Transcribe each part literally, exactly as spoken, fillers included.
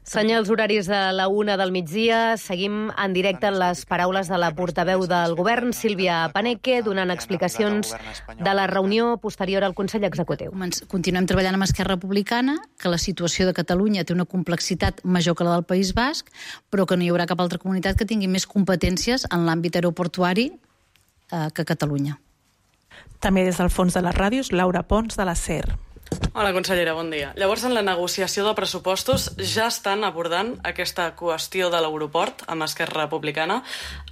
Senyals horaris de la una del migdia. Seguim en directe en les paraules de la portaveu del govern, Sílvia Paneque, donant explicacions de la reunió posterior al Consell Executiu. Continuem treballant amb Esquerra Republicana, que la situació de Catalunya té una complexitat major que la del País Basc, però que no hi haurà cap altra comunitat que tingui més competències en l'àmbit aeroportuari eh, que Catalunya. També des del fons de les ràdios, Laura Pons, de la S E R. Hola, consellera, bon dia. Llavors, en la negociació de pressupostos ja estan abordant aquesta qüestió de l'aeroport amb Esquerra Republicana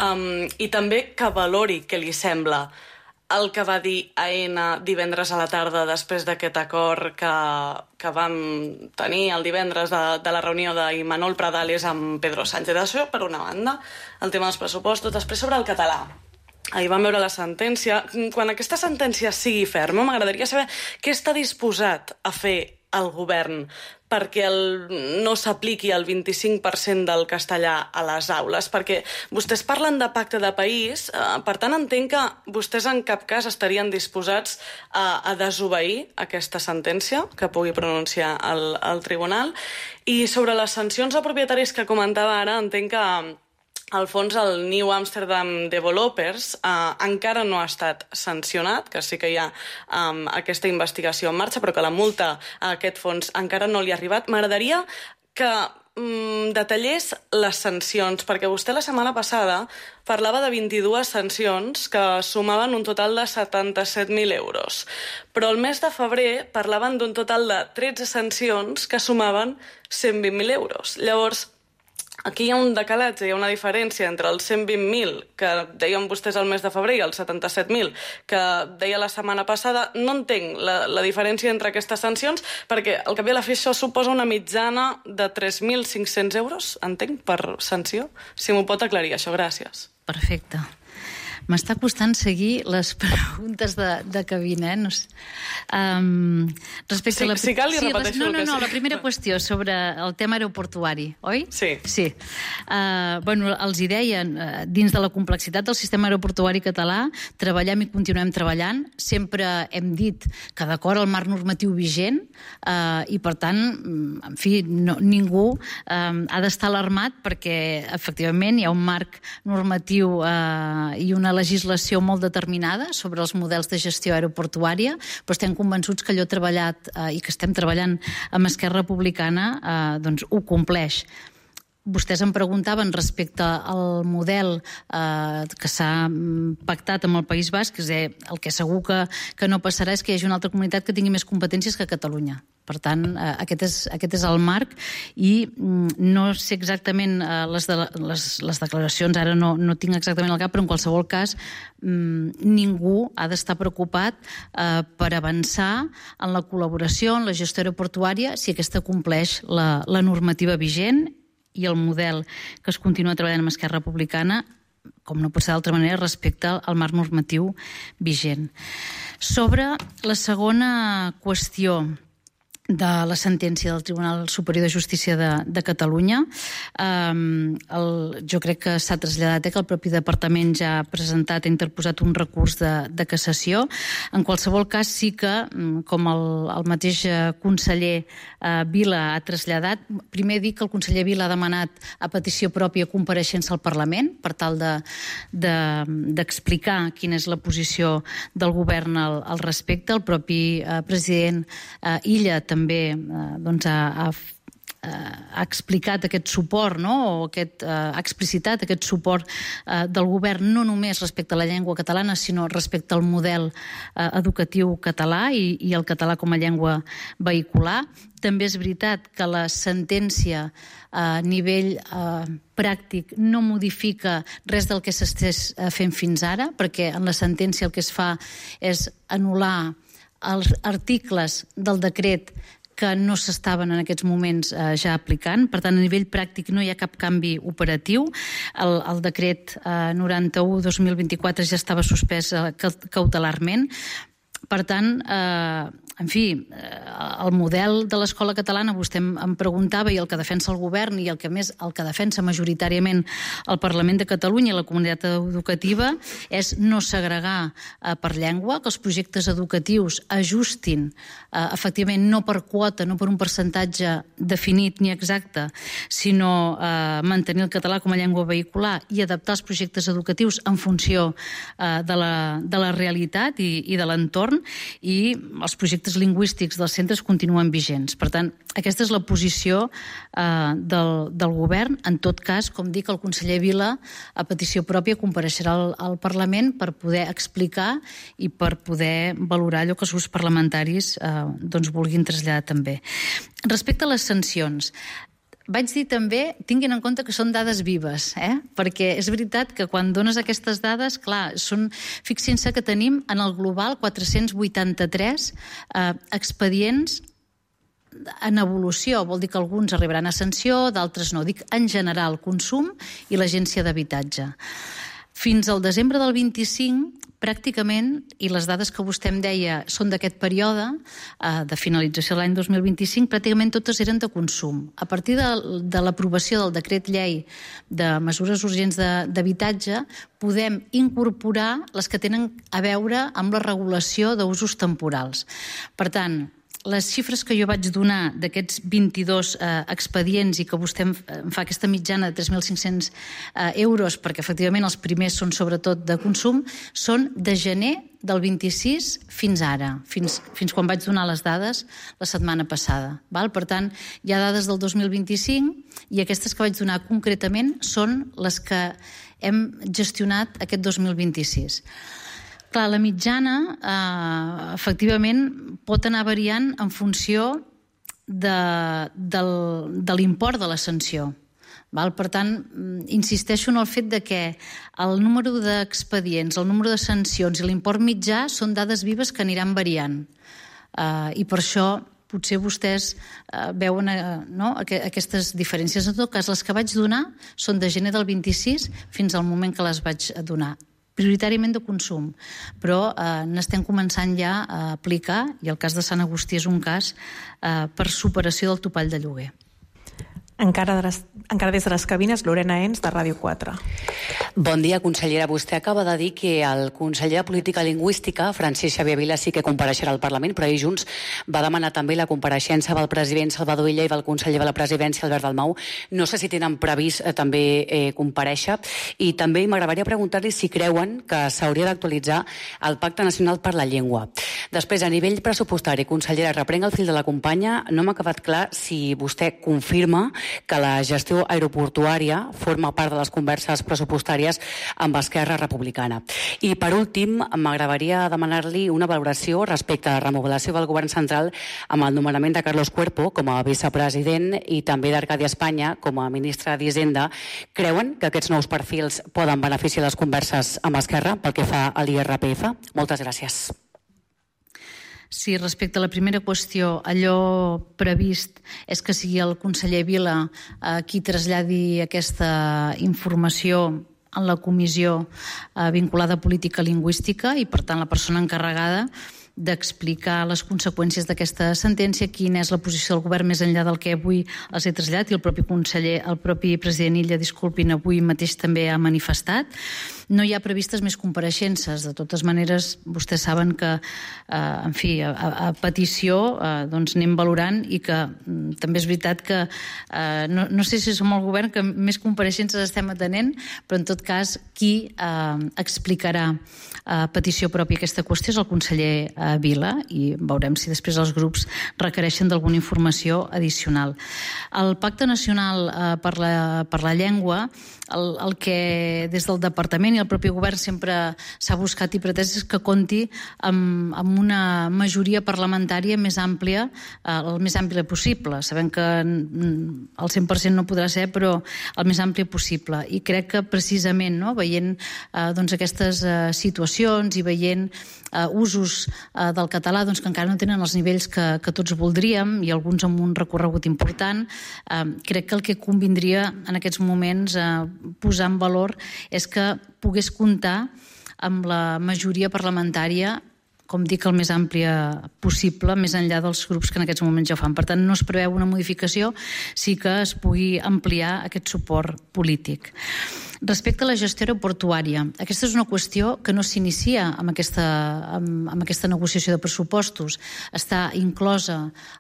um, i també que valori què li sembla el que va dir Aena divendres a la tarda després d'aquest acord que, que vam tenir el divendres de, de la reunió d'Imanol Pradales amb Pedro Sánchez. Això, per una banda, el tema dels pressupostos. Després, sobre el català. Ahir vam veure la sentència. Quan aquesta sentència sigui ferma, m'agradaria saber què està disposat a fer el govern perquè el, no s'apliqui el vint-i-cinc per cent del castellà a les aules, perquè vostès parlen de pacte de país, eh, per tant entenc que vostès en cap cas estarien disposats a, a desobeir aquesta sentència que pugui pronunciar el, el tribunal. I sobre les sancions a propietaris que comentava ara, entenc que al fons, el New Amsterdam Developers eh, encara no ha estat sancionat, que sí que hi ha um, aquesta investigació en marxa, però que la multa a aquest fons encara no li ha arribat. M'agradaria que um, detallés les sancions, perquè vostè la setmana passada parlava de vint-i-dues sancions que sumaven un total de setanta-set mil euros. Però el mes de febrer parlaven d'un total de tretze sancions que sumaven cent vint mil euros. Llavors, aquí hi ha un decalatge, hi ha una diferència entre els cent vint mil que deien vostès al mes de febrer i els setanta-set mil que deia la setmana passada. No entenc la, la diferència entre aquestes sancions, perquè al cap i a la fi això suposa una mitjana de tres mil cinc-cents euros, entenc, per sanció. Si m'ho pot aclarir, això, gràcies. Perfecte. M'està costant seguir les preguntes de, de cabina, eh? No sé. Um, respecte sí, a la... Si cal, li sí, repeteixo no, el no, que no, sí. la primera qüestió sobre el tema aeroportuari, oi? Sí. Sí. Uh, bueno, els hi deien, uh, dins de la complexitat del sistema aeroportuari català, treballem i continuem treballant. Sempre hem dit que d'acord al marc normatiu vigent uh, i, per tant, en fi, no, ningú uh, ha d'estar alarmat perquè, efectivament, hi ha un marc normatiu uh, i una legislació molt determinada sobre els models de gestió aeroportuària, però estem convençuts que allò treballat eh, i que estem treballant amb Esquerra Republicana eh, doncs ho compleix. Vostès em preguntaven respecte al model eh, que s'ha pactat amb el País Basc, és a dir, el que segur que, que no passarà és que hi hagi una altra comunitat que tingui més competències que Catalunya. Per tant, eh, aquest, és, aquest és el marc i mm, no sé exactament eh, les, de, les, les declaracions, ara no, no tinc exactament el cap, però en qualsevol cas mm, ningú ha d'estar preocupat eh, per avançar en la col·laboració, en la gestió aeroportuària, si aquesta compleix la, la normativa vigent i el model que es continua treballant amb Esquerra Republicana, com no pot ser d'altra manera, respecte al marc normatiu vigent. Sobre la segona qüestió de la sentència del Tribunal Superior de Justícia de, de Catalunya, um, el, jo crec que s'ha traslladat eh, que el propi departament ja ha presentat, ha interposat un recurs de, de cassació. En qualsevol cas, sí que, com el, el mateix conseller eh, Vila ha traslladat, primer dir que el conseller Vila ha demanat a petició pròpia compareixença al Parlament per tal de, de, d'explicar quina és la posició del govern al, al respecte. El propi eh, president eh, Illa també també eh, doncs ha, ha, ha explicat aquest suport, no? O aquest, eh, ha explicitat aquest suport eh, del govern no només respecte a la llengua catalana, sinó respecte al model eh, educatiu català i, i el català com a llengua vehicular. També és veritat que la sentència a nivell eh, pràctic no modifica res del que s'estés fent fins ara, perquè en la sentència el que es fa és anul·lar els articles del decret que no s'estaven en aquests moments eh, ja aplicant. Per tant, a nivell pràctic no hi ha cap canvi operatiu. El, el decret eh, noranta-u dos mil vint-i-quatre ja estava suspès eh, cautelarment. Per tant, eh, en fi, el model de l'escola catalana, vostè em preguntava, i el que defensa el govern i el que més el que defensa majoritàriament el Parlament de Catalunya i la comunitat educativa és no segregar eh, per llengua, que els projectes educatius ajustin eh, efectivament no per quota, no per un percentatge definit ni exacte, sinó eh, mantenir el català com a llengua vehicular i adaptar els projectes educatius en funció eh, de, la, de la realitat i, i de l'entorn, i els projectes lingüístics dels centres continuen vigents. Per tant, aquesta és la posició eh, del, del govern. En tot cas, com dic, el conseller Vila, a petició pròpia, compareixerà al, al Parlament per poder explicar i per poder valorar allò que els grups parlamentaris eh, doncs vulguin traslladar també. Respecte a les sancions, vaig dir també, tinguin en compte que són dades vives, eh? Perquè és veritat que quan dones aquestes dades, clar, són, fixin-se que tenim en el global quatre-cents vuitanta-tres eh, expedients en evolució, vol dir que alguns arribaran a sanció, d'altres no. Dic en general, consum i l'agència d'habitatge. Fins al desembre del vint-i-cinc, pràcticament, i les dades que vostè em deia són d'aquest període, eh, de finalització de l'any dos mil vint-i-cinc, pràcticament totes eren de consum. A partir de, de l'aprovació del decret llei de mesures urgents d'habitatge, podem incorporar les que tenen a veure amb la regulació d'usos temporals. Per tant, les xifres que jo vaig donar d'aquests vint-i-dos eh, expedients i que vostè em fa aquesta mitjana de tres mil cinc-cents eh, euros, perquè efectivament els primers són sobretot de consum, són de gener del vint-i-sis fins ara, fins, fins quan vaig donar les dades la setmana passada. Val? Per tant, hi ha dades del dos mil vint-i-cinc i aquestes que vaig donar concretament són les que hem gestionat aquest dos mil vint-i-sis. Clar, la mitjana, eh, efectivament, pot anar variant en funció de, del, de l'import de la sanció. Val? Per tant, insisteixo en el fet de que el número d'expedients, el número de sancions i l'import mitjà són dades vives que aniran variant. Eh, I per això potser vostès eh, veuen eh, no, aquestes diferències. En tot cas, les que vaig donar són de gener del vint-i-sis fins al moment que les vaig donar. Prioritàriament de consum, però eh, n'estem començant ja a aplicar, i el cas de Sant Agustí és un cas eh, per superació del topall de lloguer. Encara, de les, encara des de les cabines, Lorena Ens, de Ràdio quatre. Bon dia, consellera. Vostè acaba de dir que el conseller de Política Lingüística, Francesc Xavier Vila, sí que compareixerà al Parlament, però ahir Junts va demanar també la compareixença del president Salvador Illa i del conseller de la Presidència, Albert Dalmau. No sé si tenen previst eh, també eh, comparèixer. I també m'agradaria preguntar-li si creuen que s'hauria d'actualitzar el Pacte Nacional per la Llengua. Després, a nivell pressupostari, consellera, reprenc el fil de la companya. No m'ha quedat clar si vostè confirma que la gestió aeroportuària forma part de les converses pressupostàries amb Esquerra Republicana. I, per últim, m'agradaria demanar-li una valoració respecte a la remodelació del govern central amb el nomenament de Carlos Cuerpo com a vicepresident i també d'Arcadi Espanya com a ministre d'Hisenda. Creuen que aquests nous perfils poden beneficiar les converses amb Esquerra pel que fa a l'I R P F? Moltes gràcies. Sí, respecte a la primera qüestió, allò previst és que sigui el conseller Vila eh, qui traslladi aquesta informació en la comissió eh, vinculada a política lingüística i, per tant, la persona encarregada d'explicar les conseqüències d'aquesta sentència, quina és la posició del govern més enllà del que avui els he traslladat, i el propi conseller, el propi president Illa, disculpin, avui mateix també ha manifestat. No hi ha previstes més compareixences. De totes maneres, vostès saben que, eh, en fi, a, a petició eh, doncs anem valorant i que mm, també és veritat que eh, no, no sé si som el govern que més compareixences estem atenent, però en tot cas qui eh, explicarà a petició pròpia aquesta qüestió és el conseller eh, Vila, i veurem si després els grups requereixen d'alguna informació addicional. El Pacte Nacional eh, per, la, per la Llengua, el, el que des del Departament i el propi govern sempre s'ha buscat i pretès és que compti amb, amb una majoria parlamentària més àmplia, eh, el més àmplia possible. Sabem que el cent per cent no podrà ser, però el més àmplia possible. I crec que precisament, no, veient eh, doncs aquestes eh, situacions i veient eh, usos eh, del català doncs, que encara no tenen els nivells que, que tots voldríem i alguns amb un recorregut important, eh, crec que el que convindria en aquests moments eh, posar en valor és que pogués comptar amb la majoria parlamentària com dic, el més àmplia possible, més enllà dels grups que en aquests moments ja ho fan. Per tant, no es preveu una modificació, sí que es pugui ampliar aquest suport polític. Respecte a la gestió aeroportuària, aquesta és una qüestió que no s'inicia amb aquesta, amb, amb aquesta negociació de pressupostos. Està inclosa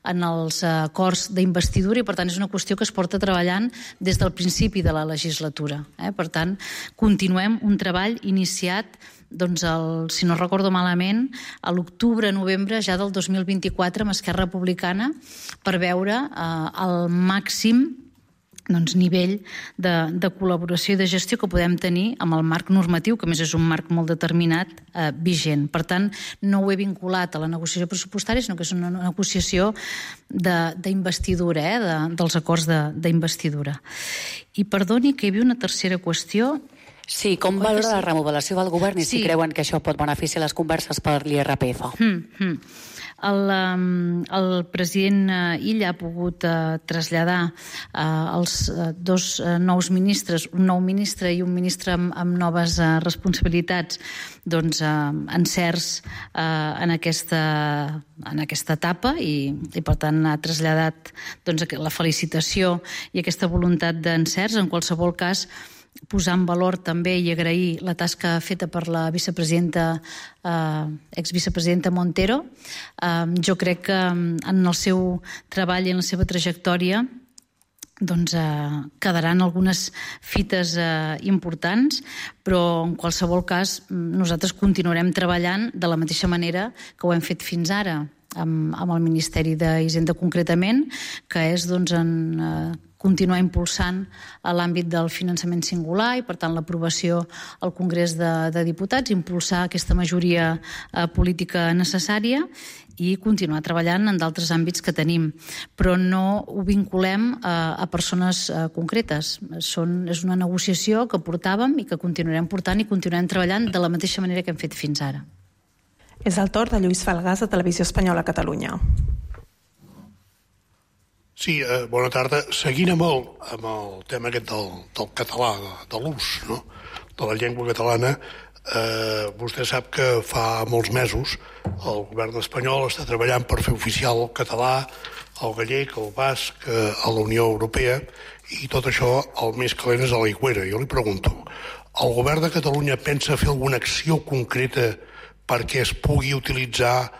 en els acords d'investidura i, per tant, és una qüestió que es porta treballant des del principi de la legislatura. Eh? Per tant, continuem un treball iniciat, doncs el, si no recordo malament, a l'octubre-novembre ja del dos mil vint-i-quatre amb Esquerra Republicana per veure eh, el màxim doncs, nivell de, de col·laboració i de gestió que podem tenir amb el marc normatiu, que a més és un marc molt determinat, eh, vigent. Per tant, no ho he vinculat a la negociació pressupostària, sinó que és una negociació d'investidura, eh, de, dels acords d'investidura. I perdoni que hi havia una tercera qüestió. Sí, com valora la remodelació del govern i sí. si creuen que això pot beneficiar les converses per l'I R P F? Mm, mm. El, el president Illa ha pogut uh, traslladar uh, els uh, dos uh, nous ministres, un nou ministre i un ministre amb, amb noves uh, responsabilitats, doncs uh, encerts uh, en, aquesta, en aquesta etapa i, i per tant ha traslladat doncs, la felicitació i aquesta voluntat d'encerts. En qualsevol cas, posar en valor també i agrair la tasca feta per la vicepresidenta, eh, exvicepresidenta Montero. Eh, jo crec que en el seu treball i en la seva trajectòria doncs, eh, quedaran algunes fites eh, importants, però en qualsevol cas nosaltres continuarem treballant de la mateixa manera que ho hem fet fins ara amb, amb el Ministeri d'Hisenda concretament, que és doncs, en eh, continuar impulsant a l'àmbit del finançament singular i, per tant, l'aprovació al Congrés de, de Diputats, impulsar aquesta majoria eh, política necessària i continuar treballant en d'altres àmbits que tenim. Però no ho vinculem eh, a persones eh, concretes. Són, és una negociació que portàvem i que continuarem portant i continuarem treballant de la mateixa manera que hem fet fins ara. És el torn de Lluís Falgàs, de Televisió Espanyola a Catalunya. Sí, eh, bona tarda. Seguint amb el, amb el tema aquest del, del català, de, de l'ús, no?, de la llengua catalana, eh, vostè sap que fa molts mesos el govern espanyol està treballant per fer oficial el català, el gallec, el basc, eh, a la Unió Europea, i tot això el més calent és a l'aigüera. Jo li pregunto, el govern de Catalunya pensa fer alguna acció concreta perquè es pugui utilitzar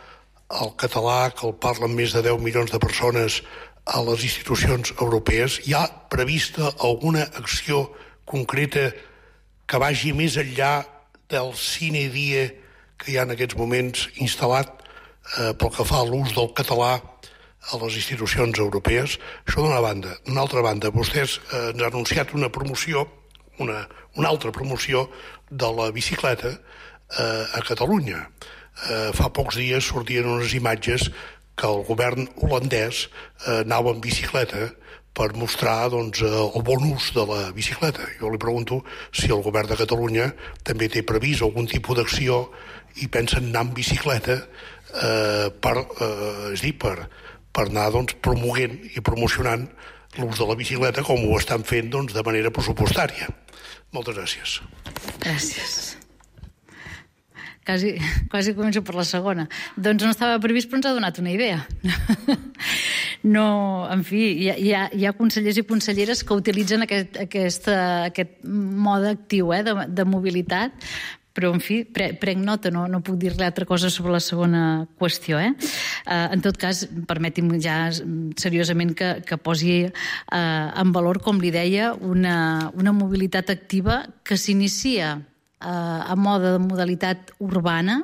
el català, que el parlen més de deu milions de persones, a les institucions europees? Hi ha prevista alguna acció concreta que vagi més enllà del sine die que hi ha en aquests moments instal·lat eh, pel que fa a l'ús del català a les institucions europees? Això d'una banda. D'una altra banda, vostès eh, ens han anunciat una promoció, una, una altra promoció de la bicicleta eh, a Catalunya. Eh, fa pocs dies sortien unes imatges que el govern holandès eh, anava en bicicleta per mostrar doncs, el bon ús de la bicicleta. Jo li pregunto si el govern de Catalunya també té previst algun tipus d'acció i pensen anar en bicicleta eh, per, eh, és dir, per, per anar doncs, promoguent i promocionant l'ús de la bicicleta com ho estan fent doncs, de manera pressupostària. Moltes gràcies. Gràcies. Quasi, quasi començo per la segona. Doncs no estava previst, però ens ha donat una idea. No, en fi, hi ha, hi ha, hi ha consellers i conselleres que utilitzen aquest, aquest, aquest mode actiu eh, de, de mobilitat, però, en fi, pre, prenc nota, no, no puc dir-li altra cosa sobre la segona qüestió. Eh? Uh, en tot cas, permeti'm ja seriosament que, que posi uh, en valor, com li deia, una, una mobilitat activa que s'inicia a mode de modalitat urbana,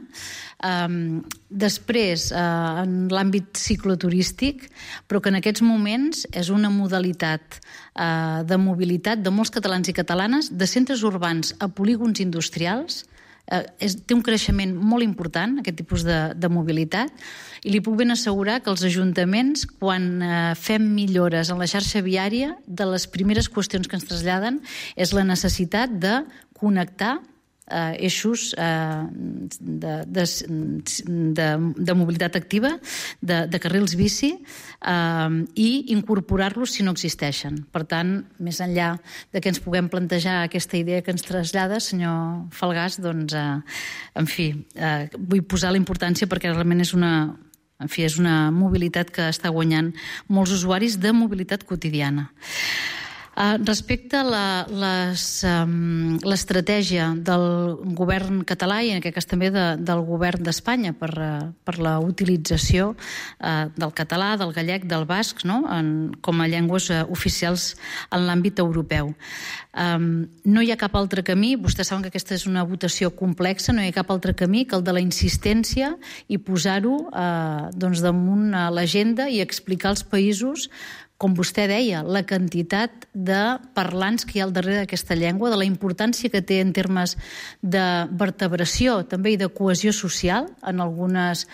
um, després uh, en l'àmbit cicloturístic, però que en aquests moments és una modalitat uh, de mobilitat de molts catalans i catalanes, de centres urbans a polígons industrials. Uh, és, té un creixement molt important, aquest tipus de, de mobilitat, i li puc ben assegurar que els ajuntaments, quan uh, fem millores en la xarxa viària, de les primeres qüestions que ens traslladen és la necessitat de connectar eh, eixos eh, de, de, de, de mobilitat activa, de, de carrils bici, eh, i incorporar-los si no existeixen. Per tant, més enllà de que ens puguem plantejar aquesta idea que ens trasllada, senyor Falgàs, doncs, eh, en fi, eh, vull posar la importància perquè realment és una... En fi, és una mobilitat que està guanyant molts usuaris de mobilitat quotidiana. Uh, respecte a la, les, um, l'estratègia del govern català i en aquest cas també de, del govern d'Espanya per, uh, per la utilització uh, del català, del gallec, del basc, no? en, com a llengües uh, oficials en l'àmbit europeu. Um, no hi ha cap altre camí, vostès saben que aquesta és una votació complexa, no hi ha cap altre camí que el de la insistència i posar-ho uh, doncs damunt uh, l'agenda i explicar als països, com vostè deia, la quantitat de parlants que hi ha al darrere d'aquesta llengua, de la importància que té en termes de vertebració també i de cohesió social en, algunes,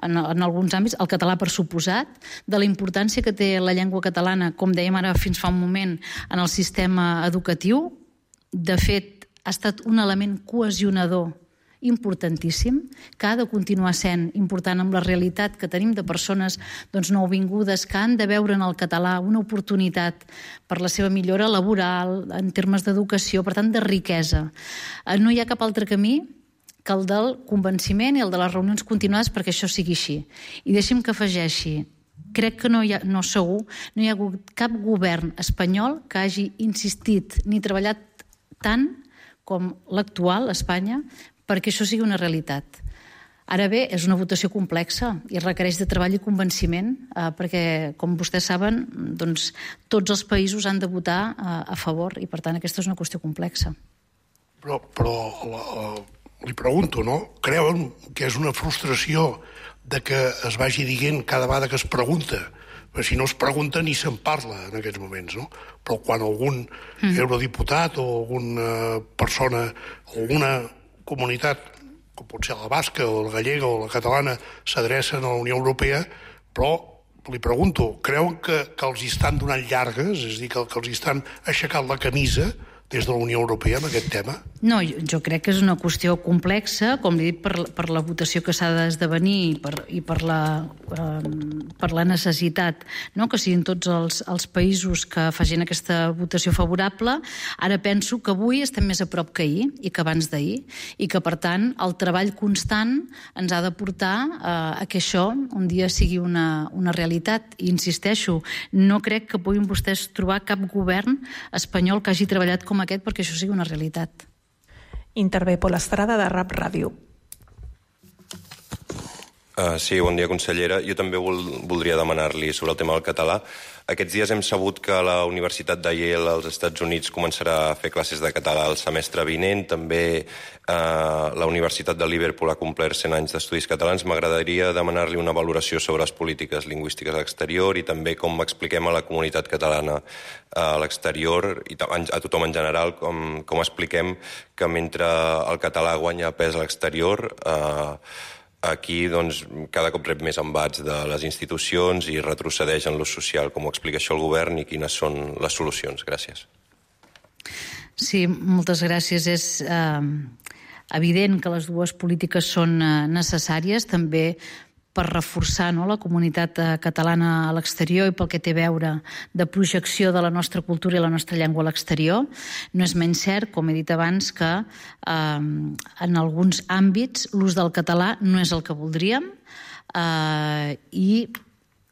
en, en alguns àmbits, el català per suposat, de la importància que té la llengua catalana, com dèiem ara fins fa un moment, en el sistema educatiu. De fet, ha estat un element cohesionador importantíssim, que ha de continuar sent important amb la realitat que tenim de persones doncs, nouvingudes que han de veure en el català una oportunitat per la seva millora laboral, en termes d'educació, per tant, de riquesa. No hi ha cap altre camí que el del convenciment i el de les reunions continuades perquè això sigui així. I deixi'm que afegeixi, crec que no hi ha, no segur, no hi ha hagut cap govern espanyol que hagi insistit ni treballat tant com l'actual, Espanya, perquè això sigui una realitat. Ara bé, és una votació complexa i requereix de treball i convenciment, eh, perquè, com vostès saben, doncs, tots els països han de votar eh, a favor i, per tant, aquesta és una qüestió complexa. Però, però la, la, li pregunto, no? Creuen que és una frustració de que es vagi dient cada vegada que es pregunta? Perquè si no es pregunta ni se'n parla en aquests moments, no? Però quan algun mm. eurodiputat o alguna persona, alguna comunitat, com pot ser la basca o la gallega o la catalana, s'adrecen a la Unió Europea, però li pregunto, creuen que, que els hi estan donant llargues, és a dir, que, que els hi estan aixecant la camisa des de la Unió Europea amb aquest tema? No, jo, jo crec que és una qüestió complexa, com li he dit, per, per la votació que s'ha d'esdevenir i per, i per, la, eh, per la necessitat, no?, que siguin tots els, els països que facin aquesta votació favorable. Ara penso que avui estem més a prop que ahir i que abans d'ahir i que, per tant, el treball constant ens ha de portar eh, a que això un dia sigui una, una realitat. I insisteixo, no crec que puguin vostès trobar cap govern espanyol que hagi treballat com aquest perquè això sigui una realitat. Intervé Pol Estrada, de Rap Ràdio. Uh, sí, bon dia, consellera. Jo també vol, voldria demanar-li sobre el tema del català. Aquests dies hem sabut que la Universitat de Yale als Estats Units començarà a fer classes de català el semestre vinent. També uh, la Universitat de Liverpool ha complert cent anys d'estudis catalans. M'agradaria demanar-li una valoració sobre les polítiques lingüístiques a l'exterior i també com expliquem a la comunitat catalana a l'exterior i a tothom en general com, com expliquem que mentre el català guanya pes a l'exterior, eh, aquí doncs, cada cop rep més embats de les institucions i retrocedeix en l'ús social. Com ho explica això el govern i quines són les solucions? Gràcies. Sí, moltes gràcies. És eh, evident que les dues polítiques són eh, necessàries, també per reforçar, no, la comunitat catalana a l'exterior i pel que té a veure de projecció de la nostra cultura i la nostra llengua a l'exterior. No és menys cert, com he dit abans, que eh, en alguns àmbits l'ús del català no és el que voldríem eh, i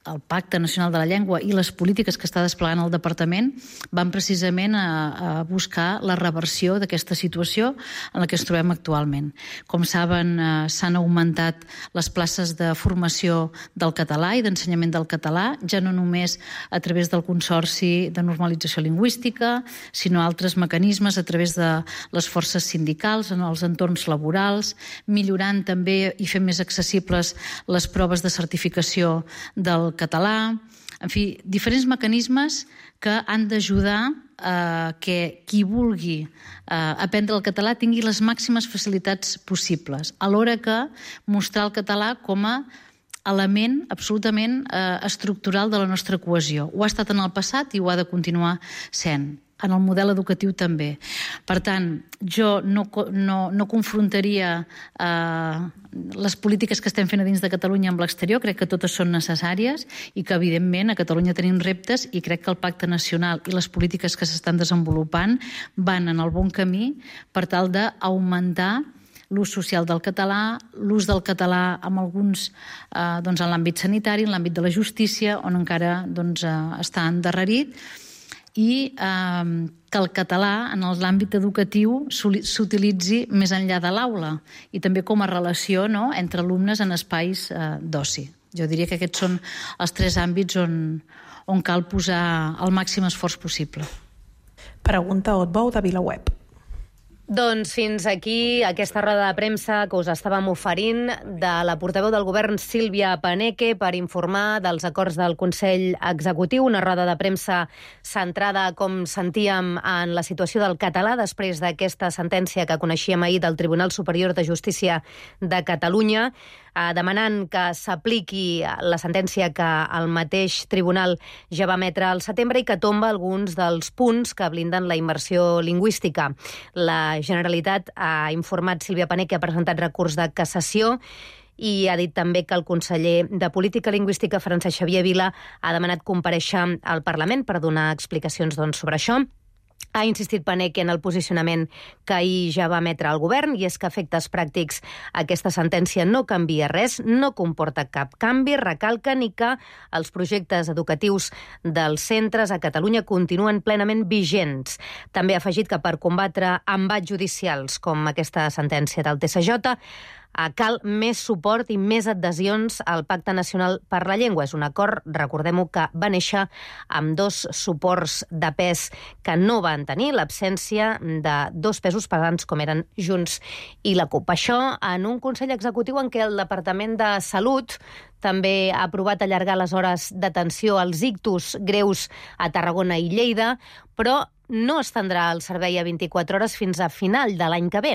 el Pacte Nacional de la Llengua i les polítiques que està desplegant el Departament van precisament a, a buscar la reversió d'aquesta situació en la que ens trobem actualment. Com saben, eh, s'han augmentat les places de formació del català i d'ensenyament del català, ja no només a través del Consorci de Normalització Lingüística, sinó altres mecanismes a través de les forces sindicals en els entorns laborals, millorant també i fent més accessibles les proves de certificació del català, en fi, diferents mecanismes que han d'ajudar a que qui vulgui aprendre el català tingui les màximes facilitats possibles, alhora que mostrar el català com a element absolutament estructural de la nostra cohesió. Ho ha estat en el passat i ho ha de continuar sent. en el model educatiu també. Per tant, jo no, no, no confrontaria eh, les polítiques que estem fent a dins de Catalunya amb l'exterior, crec que totes són necessàries i que, evidentment, a Catalunya tenim reptes i crec que el Pacte Nacional i les polítiques que s'estan desenvolupant van en el bon camí per tal d'augmentar l'ús social del català, l'ús del català amb alguns, eh, doncs, en l'àmbit sanitari, en l'àmbit de la justícia, on encara doncs, eh, està endarrerit, i eh, que el català en l'àmbit educatiu s'utilitzi més enllà de l'aula i també com a relació, no?, entre alumnes en espais eh, d'oci. Jo diria que aquests són els tres àmbits on, on cal posar el màxim esforç possible. Pregunta Otbou de VilaWeb. Doncs fins aquí aquesta roda de premsa que us estàvem oferint de la portaveu del govern Sílvia Paneque per informar dels acords del Consell Executiu, una roda de premsa centrada, com sentíem, en la situació del català després d'aquesta sentència que coneixíem ahir del Tribunal Superior de Justícia de Catalunya, demanant que s'apliqui la sentència que el mateix tribunal ja va emetre al setembre i que tomba alguns dels punts que blinden la immersió lingüística. La Generalitat ha informat, Sílvia Paneque ha presentat recurs de cassació i ha dit també que el conseller de Política Lingüística, Francesc Xavier Vila, ha demanat comparèixer al Parlament per donar explicacions doncs, sobre això. Ha insistit Paneque en el posicionament que ahir ja va emetre el govern, i és que a efectes pràctics aquesta sentència no canvia res, no comporta cap canvi, recalca ni que els projectes educatius dels centres a Catalunya continuen plenament vigents. També ha afegit que per combatre embats judicials com aquesta sentència del T S J cal més suport i més adhesions al Pacte Nacional per la Llengua. És un acord, recordem-ho, que va néixer amb dos suports de pes que no van tenir, l'absència de dos pesos pesants com eren Junts i la CUP. Això en un Consell Executiu en què el Departament de Salut també ha aprovat allargar les hores d'atenció als ictus greus a Tarragona i Lleida, però no es tindrà el servei a vint-i-quatre hores fins a final de l'any que ve.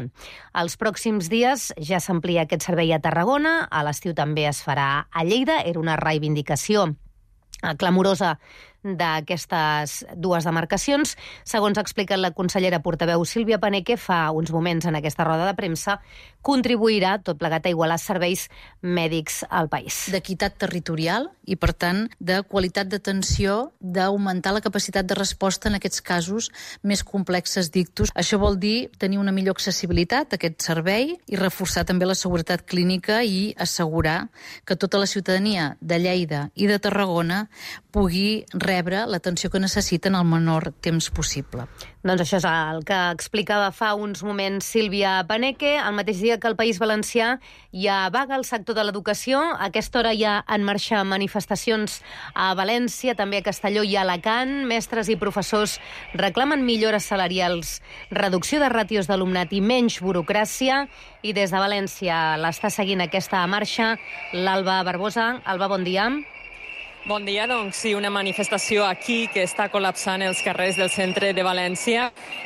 Els pròxims dies ja s'amplia aquest servei a Tarragona, a l'estiu també es farà a Lleida, era una reivindicació clamorosa d'aquestes dues demarcacions. Segons ha explicat la consellera portaveu Sílvia Paneque fa uns moments en aquesta roda de premsa, contribuirà tot plegat a igualar serveis mèdics al país. D'equitat territorial i, per tant, de qualitat d'atenció, d'augmentar la capacitat de resposta en aquests casos més complexes d'ictus. Això vol dir tenir una millor accessibilitat a aquest servei i reforçar també la seguretat clínica i assegurar que tota la ciutadania de Lleida i de Tarragona pugui rebre l'atenció que necessita en el menor temps possible. Doncs això és el que explicava fa uns moments Sílvia Paneque. El mateix dia que el País Valencià ja vaga el sector de l'educació. A aquesta hora hi ha en marxa manifestacions a València, també a Castelló i a Alacant. Mestres i professors reclamen millores salarials, reducció de ràtios d'alumnat i menys burocràcia. I des de València l'està seguint aquesta marxa l'Alba Barbosa. Alba, bon dia. Bon dia, doncs sí, una manifestació aquí que està col·lapsant els carrers del centre de València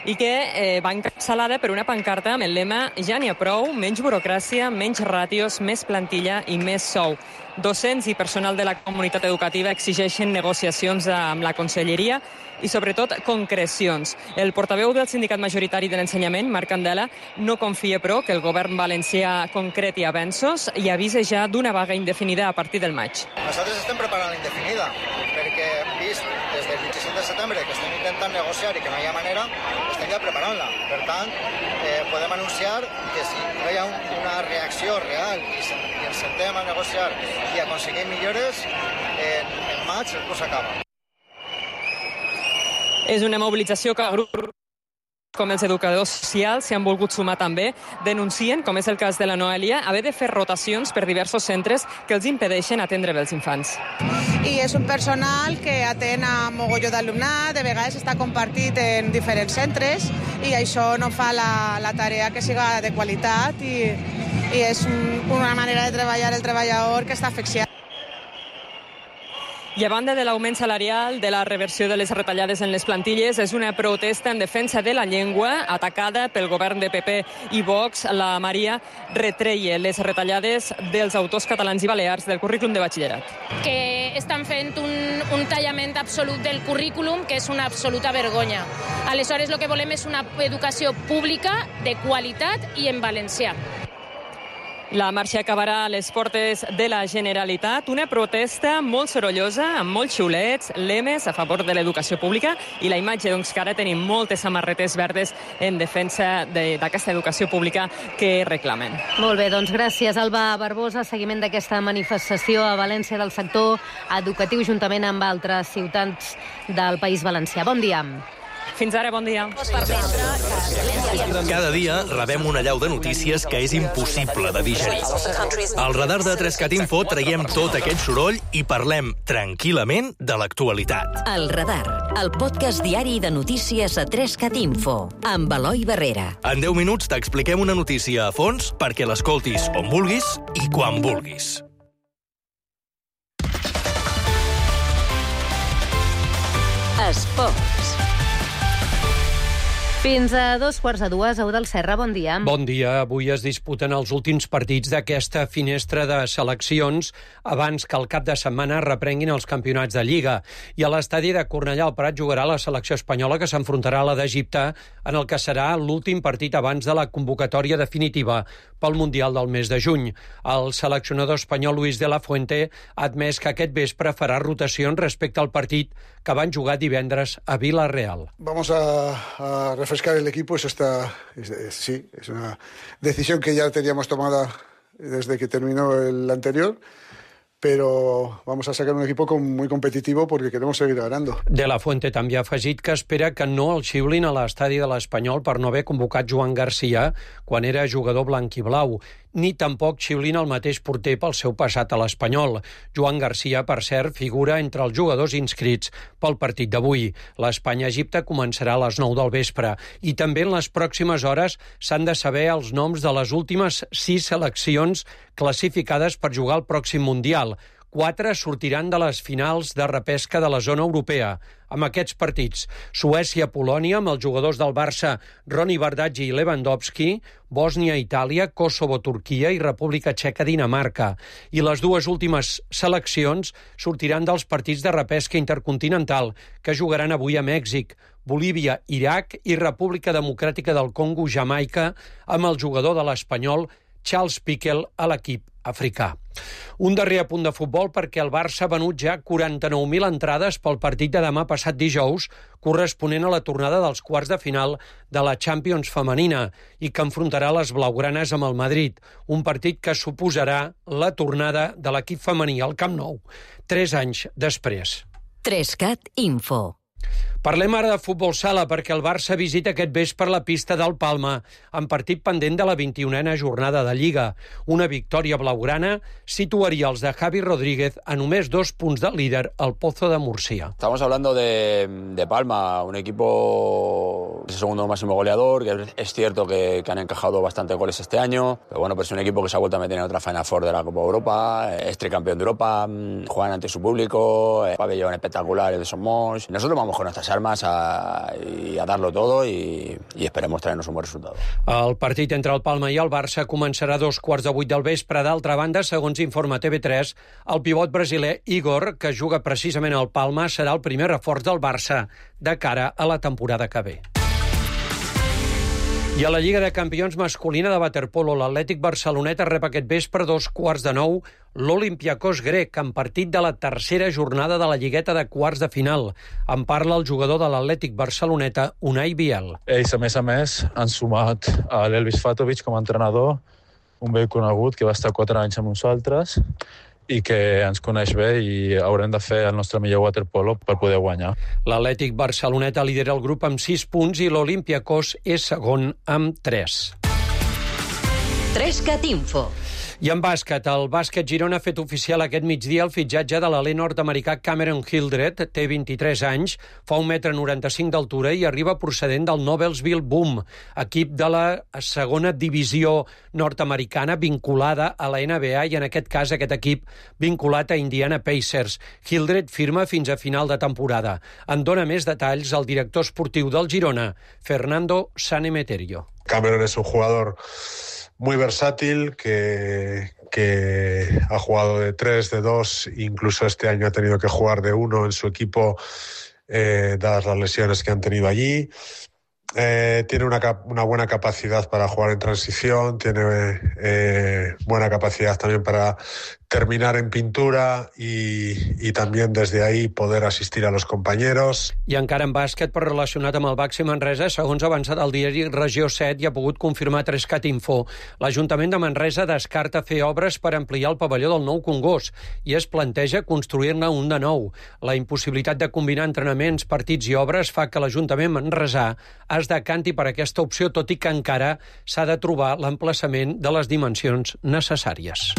i que eh, va encapçalada per una pancarta amb el lema «Ja n'hi ha prou, menys burocràcia, menys ràtios, més plantilla i més sou». Docents i personal de la comunitat educativa exigeixen negociacions amb la conselleria i, sobretot, concrecions. El portaveu del sindicat majoritari de l'ensenyament, Marc Candela, no confia, però, que el govern valencià concreti avenços i avisa ja d'una vaga indefinida a partir del maig. Nosaltres estem preparant la indefinida, perquè vist des del vint-i-cinc de setembre que estem intentant negociar i que no hi ha manera, estem ja preparant-la. Per tant, eh, podem anunciar que si no hi ha un, una reacció real i, se, i ens sentem a negociar i aconseguir millores, eh, en maig el curs acaba. És una mobilització que grups com els educadors socials s'hi han volgut sumar també. Denuncien, com és el cas de la Noelia, haver de fer rotacions per diversos centres que els impedeixen atendre bé els infants. I és un personal que atén a mogolló d'alumnat, de vegades està compartit en diferents centres i això no fa la, la tarea que siga de qualitat i, i és un, una manera de treballar el treballador que està asfixiat. I a banda de l'augment salarial, de la reversió de les retallades en les plantilles, és una protesta en defensa de la llengua atacada pel govern de P P i Vox. La Maria retreia les retallades dels autors catalans i balears del currículum de batxillerat. Que estan fent un, un tallament absolut del currículum, que és una absoluta vergonya. Aleshores, el que volem és una educació pública de qualitat i en valencià. La marxa acabarà a les portes de la Generalitat, una protesta molt sorollosa, amb molts xiulets, lemes a favor de l'educació pública i la imatge doncs, que ara tenim moltes samarretes verdes en defensa d'aquesta de, educació pública que reclamen. Molt bé, doncs gràcies, Alba Barbosa. Seguiment d'aquesta manifestació a València del sector educatiu juntament amb altres ciutats del País Valencià. Bon dia. Fins ara, bon dia. Cada dia rebem una allau de notícies que és impossible de digerir. Al radar de tres cat Info traiem tot aquest soroll i parlem tranquil·lament de l'actualitat. El Radar, el podcast diari de notícies a tres cat Info, amb Eloi Barrera. En deu minuts t'expliquem una notícia a fons perquè l'escoltis on vulguis i quan vulguis. Esports. Fins a dos quarts de dues, Eudald Serra, bon dia. Bon dia. Avui es disputen els últims partits d'aquesta finestra de seleccions abans que el cap de setmana reprenguin els campionats de Lliga. I a l'estadi de Cornellà al Prat jugarà la selecció espanyola que s'enfrontarà a la d'Egipte en el que serà l'últim partit abans de la convocatòria definitiva pel Mundial del mes de juny. El seleccionador espanyol Luis de la Fuente ha admès que aquest vespre farà rotacions respecte al partit que van jugar divendres a Vila-real. Vamos a, a refrescar el equipo, eso está, es, es, sí, es una decisión que ya teníamos tomada desde que terminó el anterior, pero vamos a sacar un equipo muy competitivo porque queremos seguir ganando. De la Fuente també ha afegit que espera que no el xiulin a l'estadi de l'Espanyol per no haver convocat Joan Garcia quan era jugador blanc i blau, ni tampoc xiulin el mateix porter pel seu passat a l'Espanyol. Joan Garcia, per cert, figura entre els jugadors inscrits pel partit d'avui. L'Espanya-Egipte començarà a les nou del vespre i també en les pròximes hores s'han de saber els noms de les últimes sis seleccions classificades per jugar al pròxim Mundial. Quatre sortiran de les finals de repesca de la zona europea. Amb aquests partits, Suècia-Polònia, amb els jugadors del Barça, Roni Bardghji i Lewandowski, Bòsnia-Itàlia, Kosovo-Turquia i República Txeca-Dinamarca. I les dues últimes seleccions sortiran dels partits de repesca intercontinental que jugaran avui a Mèxic, Bolívia, Iraq i República Democràtica del Congo, Jamaica, amb el jugador de l'Espanyol, Charles Piquel, a l'equip africà. Un darrer apunt de futbol perquè el Barça ha venut ja quaranta-nou mil entrades pel partit de demà passat dijous, corresponent a la tornada dels quarts de final de la Champions femenina i que enfrontarà les blaugranes amb el Madrid, un partit que suposarà la tornada de l'equip femení al Camp Nou, tres anys després. tres cat Info. Parlem ara de futbol sala perquè el Barça visita aquest vespre la pista del Palma en partit pendent de la vint-i-unena jornada de Lliga. Una victòria blaugrana situaria els de Javi Rodríguez a només dos punts del líder, el Pozo de Murcia. Estamos hablando de, de Palma, un equipo es el segundo máximo goleador, que es cierto que, que han encajado bastante goles este año, pero bueno, pues es un equipo que se ha vuelto a meter en otra Final Four de la Copa Europa, es tricampeón de Europa, juegan ante su público, el pabellón espectacular de Somos. Nosotros vamos con nuestras armas a, y a darlo todo y, y esperemos traernos un buen resultado. El partit entre el Palma i el Barça començarà a dos quarts de vuit del vespre. D'altra banda, segons informa T V tres, el pivot brasiler Igor, que juga precisament al Palma, serà el primer reforç del Barça de cara a la temporada que ve. I a la Lliga de Campions masculina de waterpolo, l'Atlètic Barceloneta rep aquest vespre dos quarts de nou l'Olympiakos grec, en partit de la tercera jornada de la lligueta de quarts de final. En parla el jugador de l'Atlètic Barceloneta, Unai Biel. Ells, a més a més, han sumat a l'Elvis Fatovic com a entrenador, un vell conegut que va estar quatre anys amb nosaltres i que ens coneix bé i haurem de fer el nostre millor waterpolo per poder guanyar. L'Atlètic Barceloneta lidera el grup amb sis punts i l'Olympiakos és segon amb tres. tres cat Info. I en bàsquet, el bàsquet Girona ha fet oficial aquest migdia el fitxatge de l'alè nord-americà Cameron Hildreth, té vint-i-tres anys, fa un metre noranta-cinc d'altura i arriba procedent del Noblesville Boom, equip de la segona divisió nord-americana vinculada a la N B A i en aquest cas aquest equip vinculat a Indiana Pacers. Hildreth firma fins a final de temporada. En dona més detalls el director esportiu del Girona, Fernando Sanemeterio. Cameron es un jugador muy versátil, que, que ha jugado de tres, de dos, incluso este año ha tenido que jugar de uno en su equipo, eh, dadas las lesiones que han tenido allí. Eh, tiene una, una buena capacidad para jugar en transición, tiene eh, buena capacidad también para terminar en pintura y, y también desde ahí poder asistir a los compañeros. I encara en bàsquet, però relacionat amb el Baxi Manresa, segons ha avançat el diari Regió set i ha pogut confirmar Trescat Info. L'Ajuntament de Manresa descarta fer obres per ampliar el pavelló del nou Congost i es planteja construir-ne un de nou. La impossibilitat de combinar entrenaments, partits i obres fa que l'Ajuntament manresà es decanti per aquesta opció, tot i que encara s'ha de trobar l'emplaçament de les dimensions necessàries.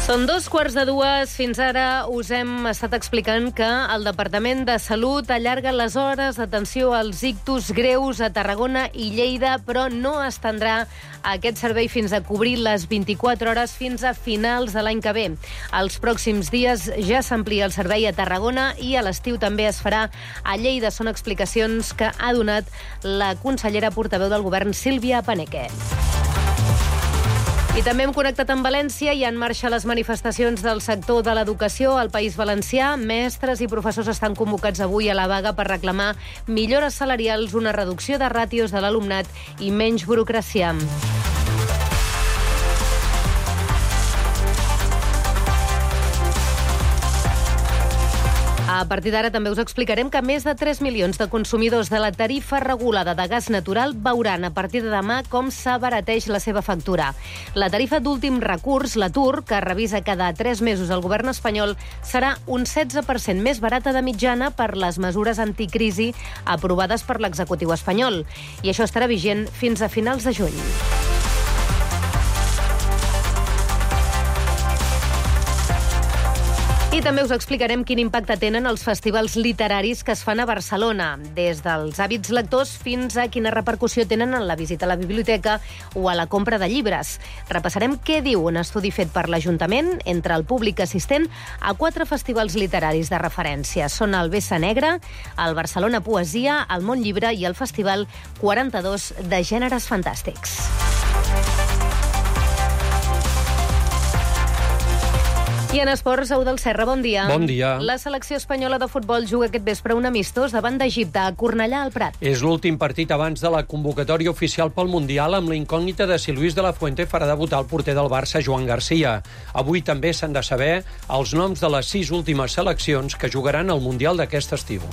Són dos quarts de dues. Fins ara us hem estat explicant que el Departament de Salut allarga les hores d'atenció als ictus greus a Tarragona i Lleida, però no estendrà aquest servei fins a cobrir les vint-i-quatre hores fins a finals de l'any que ve. Els pròxims dies ja s'amplia el servei a Tarragona i a l'estiu també es farà a Lleida. Són explicacions que ha donat la consellera portaveu del govern, Sílvia Paneque. I també hem connectat amb València i en marxa les manifestacions del sector de l'educació al País Valencià. Mestres i professors estan convocats avui a la vaga per reclamar millores salarials, una reducció de ràtios de l'alumnat i menys burocràcia. A partir d'ara també us explicarem que més de tres milions de consumidors de la tarifa regulada de gas natural veuran a partir de demà com s'abarateix la seva factura. La tarifa d'últim recurs, la T U R, que revisa cada tres mesos el govern espanyol, serà un setze per cent més barata de mitjana per les mesures anticrisi aprovades per l'executiu espanyol. I això estarà vigent fins a finals de juny. I també us explicarem quin impacte tenen els festivals literaris que es fan a Barcelona, des dels hàbits lectors fins a quina repercussió tenen en la visita a la biblioteca o a la compra de llibres. Repassarem què diu un estudi fet per l'Ajuntament entre el públic assistent a quatre festivals literaris de referència. Són el Vessa Negra, el Barcelona Poesia, el Món Llibre i el Festival quaranta-dos de Gèneres Fantàstics. I en esports, Au del Serra, bon dia. Bon dia. La selecció espanyola de futbol juga aquest vespre un amistós davant d'Egipte, a Cornellà al Prat. És l'últim partit abans de la convocatòria oficial pel Mundial, amb la incògnita de si Luis de la Fuente farà debutar el porter del Barça, Joan Garcia. Avui també s'han de saber els noms de les sis últimes seleccions que jugaran al Mundial d'aquest estiu.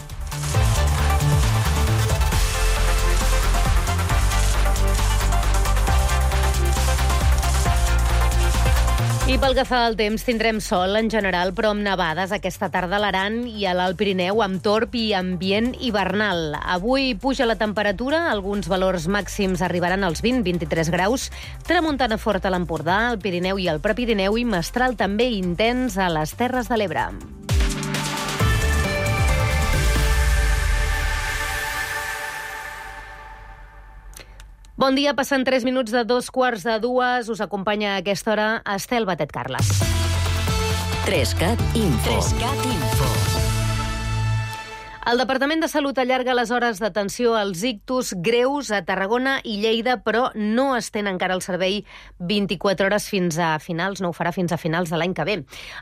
I pel que fa al temps, tindrem sol en general, però amb nevades aquesta tarda a l'Aran i a l'Alt Pirineu, amb torb i ambient hivernal. Avui puja la temperatura, alguns valors màxims arribaran als vint a vint-i-tres graus, tramuntana forta a l'Empordà, al Pirineu i al Prepirineu i mestral també intens a les Terres de l'Ebre. Bon dia, passant tres minuts de dos quarts de dues. Us acompanya a aquesta hora Estel Batet Carles. Trescat Info. Trescat Info. El Departament de Salut allarga les hores d'atenció als ictus greus a Tarragona i Lleida, però no estén encara el servei vint-i-quatre hores fins a finals, no ho farà fins a finals de l'any que ve.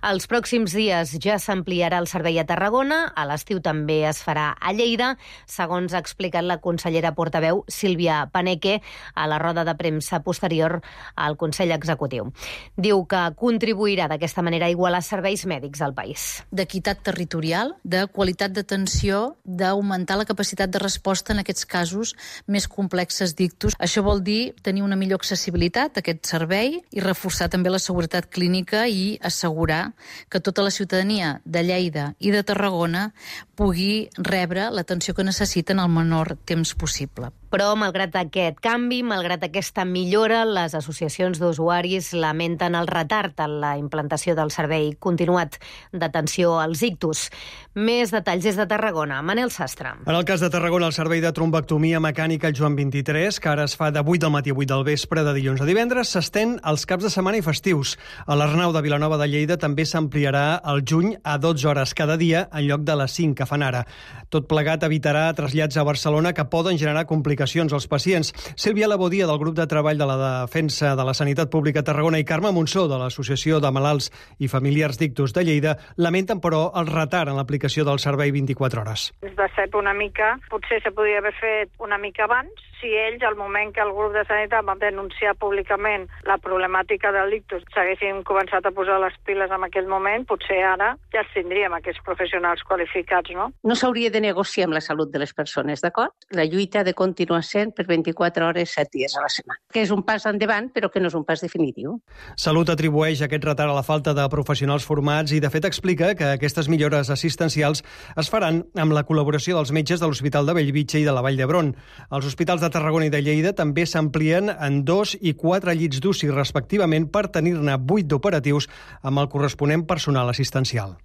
Els pròxims dies ja s'ampliarà el servei a Tarragona, a l'estiu també es farà a Lleida, segons ha explicat la consellera portaveu Sílvia Paneque a la roda de premsa posterior al Consell Executiu. Diu que contribuirà d'aquesta manera a igualar serveis mèdics al país. D'equitat territorial, de qualitat d'atenció, d'augmentar la capacitat de resposta en aquests casos més complexes d'ictus. Això vol dir tenir una millor accessibilitat a aquest servei i reforçar també la seguretat clínica i assegurar que tota la ciutadania de Lleida i de Tarragona pugui rebre l'atenció que necessita en el menor temps possible. Però, malgrat aquest canvi, malgrat aquesta millora, les associacions d'usuaris lamenten el retard en la implantació del servei continuat d'atenció als ictus. Més detalls des de Tarragona. Manel Sastre. En el cas de Tarragona, el servei de trombectomia mecànica Joan vint-i-tres, que ara es fa de vuit del matí a vuit del vespre, de dilluns a divendres, s'estén als caps de setmana i festius. A l'Arnau de Vilanova de Lleida també s'ampliarà al juny a dotze hores cada dia, en lloc de les cinc que fan ara. Tot plegat evitarà trasllats a Barcelona que poden generar complicacions als pacients. Sílvia Labodia, del grup de treball de la Defensa de la Sanitat Pública a Tarragona, i Carme Monsó, de l'Associació de Malalts i Familiars d'Ictus de Lleida, lamenten, però, el retard en l'aplicació del servei vint-i-quatre hores. Es va ser una mica, potser se podia haver fet una mica abans, si ells, al moment que el grup de sanitat va denunciar públicament la problemàtica del ictus, s'haguessin començat a posar les piles en aquell moment, potser ara ja els tindríem aquests professionals qualificats, no? No s'hauria de negociar amb la salut de les persones, d'acord? La lluita ha de continuar sent per vint-i-quatre hores, set dies a la setmana. Que és un pas endavant, però que no és un pas definitiu. Salut atribueix aquest retard a la falta de professionals formats i, de fet, explica que aquestes millores assistencials es faran amb la col·laboració dels metges de l'Hospital de Bellvitge i de la Vall d'Hebron. Els hospitals de Tarragona i de Lleida també s'amplien en dos i quatre llits d'U C I, respectivament, per tenir-ne vuit d'operatius amb el corresponent personal assistencial.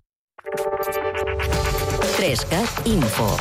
trescat Info.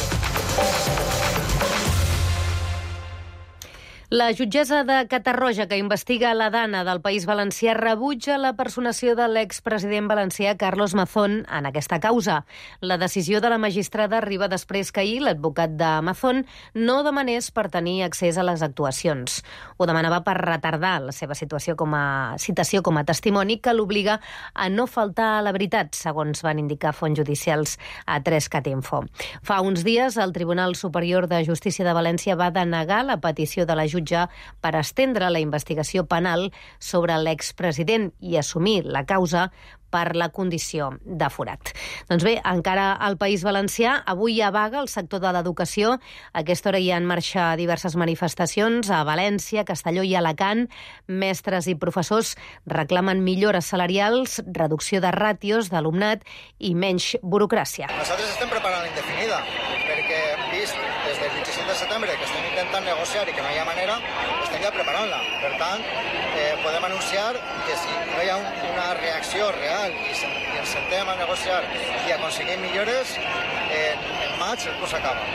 La jutgessa de Catarroja, que investiga la Dana del País Valencià, rebutja la personació de l'expresident valencià Carlos Mazón en aquesta causa. La decisió de la magistrada arriba després que ahir l'advocat de Mazón no demanés per tenir accés a les actuacions. Ho demanava per retardar la seva situació com a citació com a testimoni, que l'obliga a no faltar a la veritat, segons van indicar fonts judicials a trescat Info. Fa uns dies, el Tribunal Superior de Justícia de València va denegar la petició de la jutge per estendre la investigació penal sobre l'expresident i assumir la causa per la condició de forat. Doncs bé, encara al País Valencià, avui hi ha vaga al sector de l'educació. A aquesta hora hi ha en marxa diverses manifestacions a València, Castelló i Alacant. Mestres i professors reclamen millores salarials, reducció de ràtios d'alumnat i menys burocràcia. Nosaltres estem preparant l'indefinida, perquè hem vist des del vint-i-cinc de setembre que estem intentant negociar i que no hi ha manera, estem ja preparant-la. Per tant, eh, podem anunciar que si no hi ha un, una reacció real i, se, i ens sentem a negociar i a aconseguir millores, eh, en maig el curs acaba.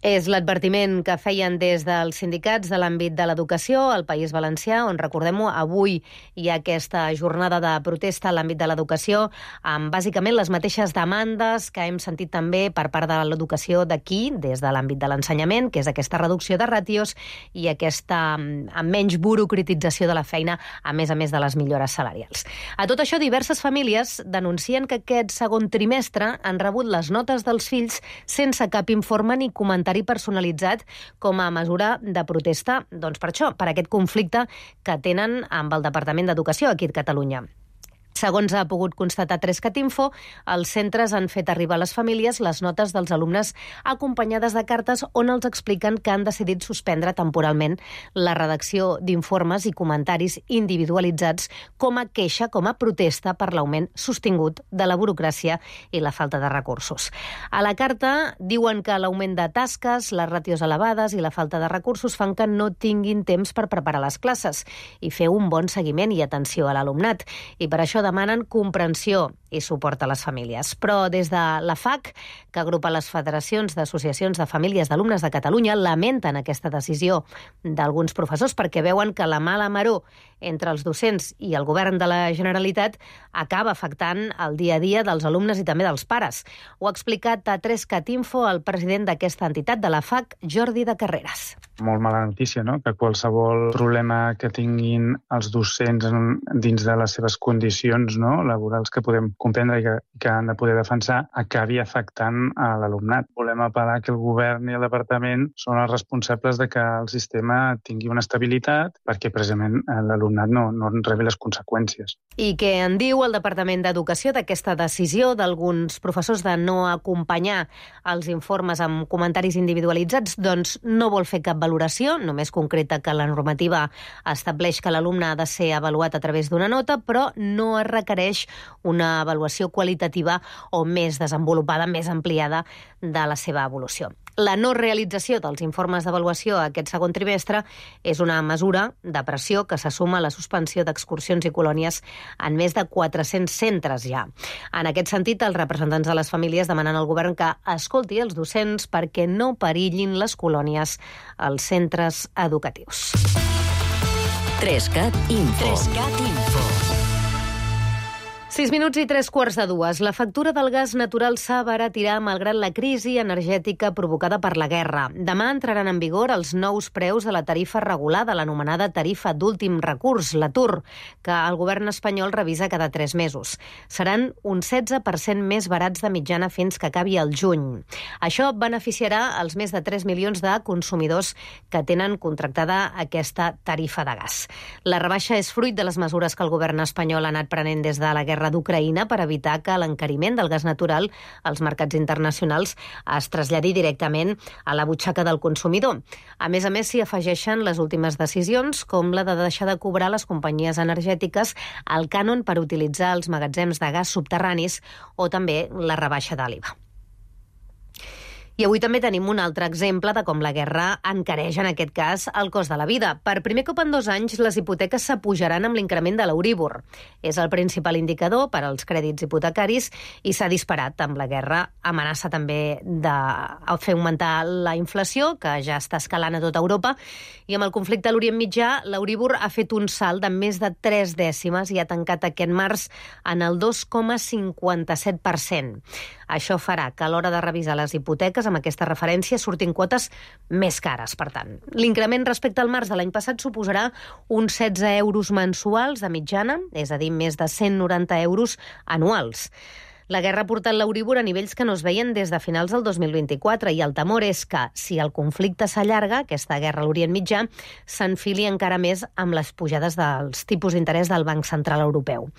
És l'advertiment que feien des dels sindicats de l'àmbit de l'educació al País Valencià, on, recordem-ho, avui hi ha aquesta jornada de protesta a l'àmbit de l'educació, amb bàsicament les mateixes demandes que hem sentit també per part de l'educació d'aquí, des de l'àmbit de l'ensenyament, que és aquesta reducció de ràtios i aquesta amb menys burocratització de la feina, a més a més de les millores salarials. A tot això, diverses famílies denuncien que aquest segon trimestre han rebut les notes dels fills sense cap informe ni comentari personalitzat com a mesura de protesta, doncs per això, per aquest conflicte que tenen amb el Departament d'Educació aquí a Catalunya. Segons ha pogut constatar trescat Info, els centres han fet arribar a les famílies les notes dels alumnes acompanyades de cartes on els expliquen que han decidit suspendre temporalment la redacció d'informes i comentaris individualitzats com a queixa, com a protesta per l'augment sostingut de la burocràcia i la falta de recursos. A la carta diuen que l'augment de tasques, les ràtios elevades i la falta de recursos fan que no tinguin temps per preparar les classes i fer un bon seguiment i atenció a l'alumnat. I per això demanen comprensió i suport a les famílies. Però des de la F A C, que agrupa les federacions d'associacions de famílies d'alumnes de Catalunya, lamenten aquesta decisió d'alguns professors perquè veuen que la mala maror entre els docents i el govern de la Generalitat acaba afectant el dia a dia dels alumnes i també dels pares. Ho ha explicat a tres cat info el president d'aquesta entitat de la F A C, Jordi de Carreras. Molt mala notícia, no?, que qualsevol problema que tinguin els docents dins de les seves condicions, no?, laborals que podem comprendre i que, que han de poder defensar, acabi afectant a l'alumnat. Volem apel·lar que el govern i el departament són els responsables de que el sistema tingui una estabilitat perquè precisament l'alumnat no, no en rebi les conseqüències. I què en diu el Departament d'Educació d'aquesta decisió d'alguns professors de no acompanyar els informes amb comentaris individualitzats? Doncs no vol fer cap valoració, només concreta que la normativa estableix que l'alumne ha de ser avaluat a través d'una nota, però no es requereix una avaluació qualitativa o més desenvolupada, més ampliada de la seva evolució. La no realització dels informes d'avaluació aquest segon trimestre és una mesura de pressió que se suma a la suspensió d'excursions i colònies en més de quatre-cents centres ja. En aquest sentit, els representants de les famílies demanen al govern que escolti els docents perquè no perillin les colònies als centres educatius. tres cat info. tres cat info. Sis minuts i tres quarts de dues. La factura del gas natural s'ha baratirar malgrat la crisi energètica provocada per la guerra. Demà entraran en vigor els nous preus de la tarifa regulada, l'anomenada tarifa d'últim recurs, la T U R, que el govern espanyol revisa cada tres mesos. Seran un setze per cent més barats de mitjana fins que acabi el juny. Això beneficiarà els més de tres milions de consumidors que tenen contractada aquesta tarifa de gas. La rebaixa és fruit de les mesures que el govern espanyol ha anat prenent des de la guerra d'Ucraïna per evitar que l'encariment del gas natural als mercats internacionals es traslladi directament a la butxaca del consumidor. A més a més, s'hi afegeixen les últimes decisions, com la de deixar de cobrar les companyies energètiques el cànon per utilitzar els magatzems de gas subterranis o també la rebaixa de l'I V A. I avui també tenim un altre exemple de com la guerra encareix, en aquest cas, el cost de la vida. Per primer cop en dos anys, les hipoteques s'apujaran amb l'increment de l'Euríbor. És el principal indicador per als crèdits hipotecaris i s'ha disparat amb la guerra. Amenaça també de fer augmentar la inflació, que ja està escalant a tota Europa, i amb el conflicte a l'Orient Mitjà, l'Euríbor ha fet un salt de més de tres dècimes i ha tancat aquest març en el dos coma cinquanta-set per cent. Això farà que a l'hora de revisar les hipoteques amb aquesta referència surtin quotes més cares, per tant. L'increment respecte al març de l'any passat suposarà uns setze euros mensuals de mitjana, és a dir, més de cent noranta euros anuals. La guerra ha portat l'Euríbor a nivells que no es veien des de finals del dos mil vint-i-quatre i el temor és que, si el conflicte s'allarga, aquesta guerra a l'Orient Mitjà, s'enfili encara més amb les pujades dels tipus d'interès del Banc Central Europeu.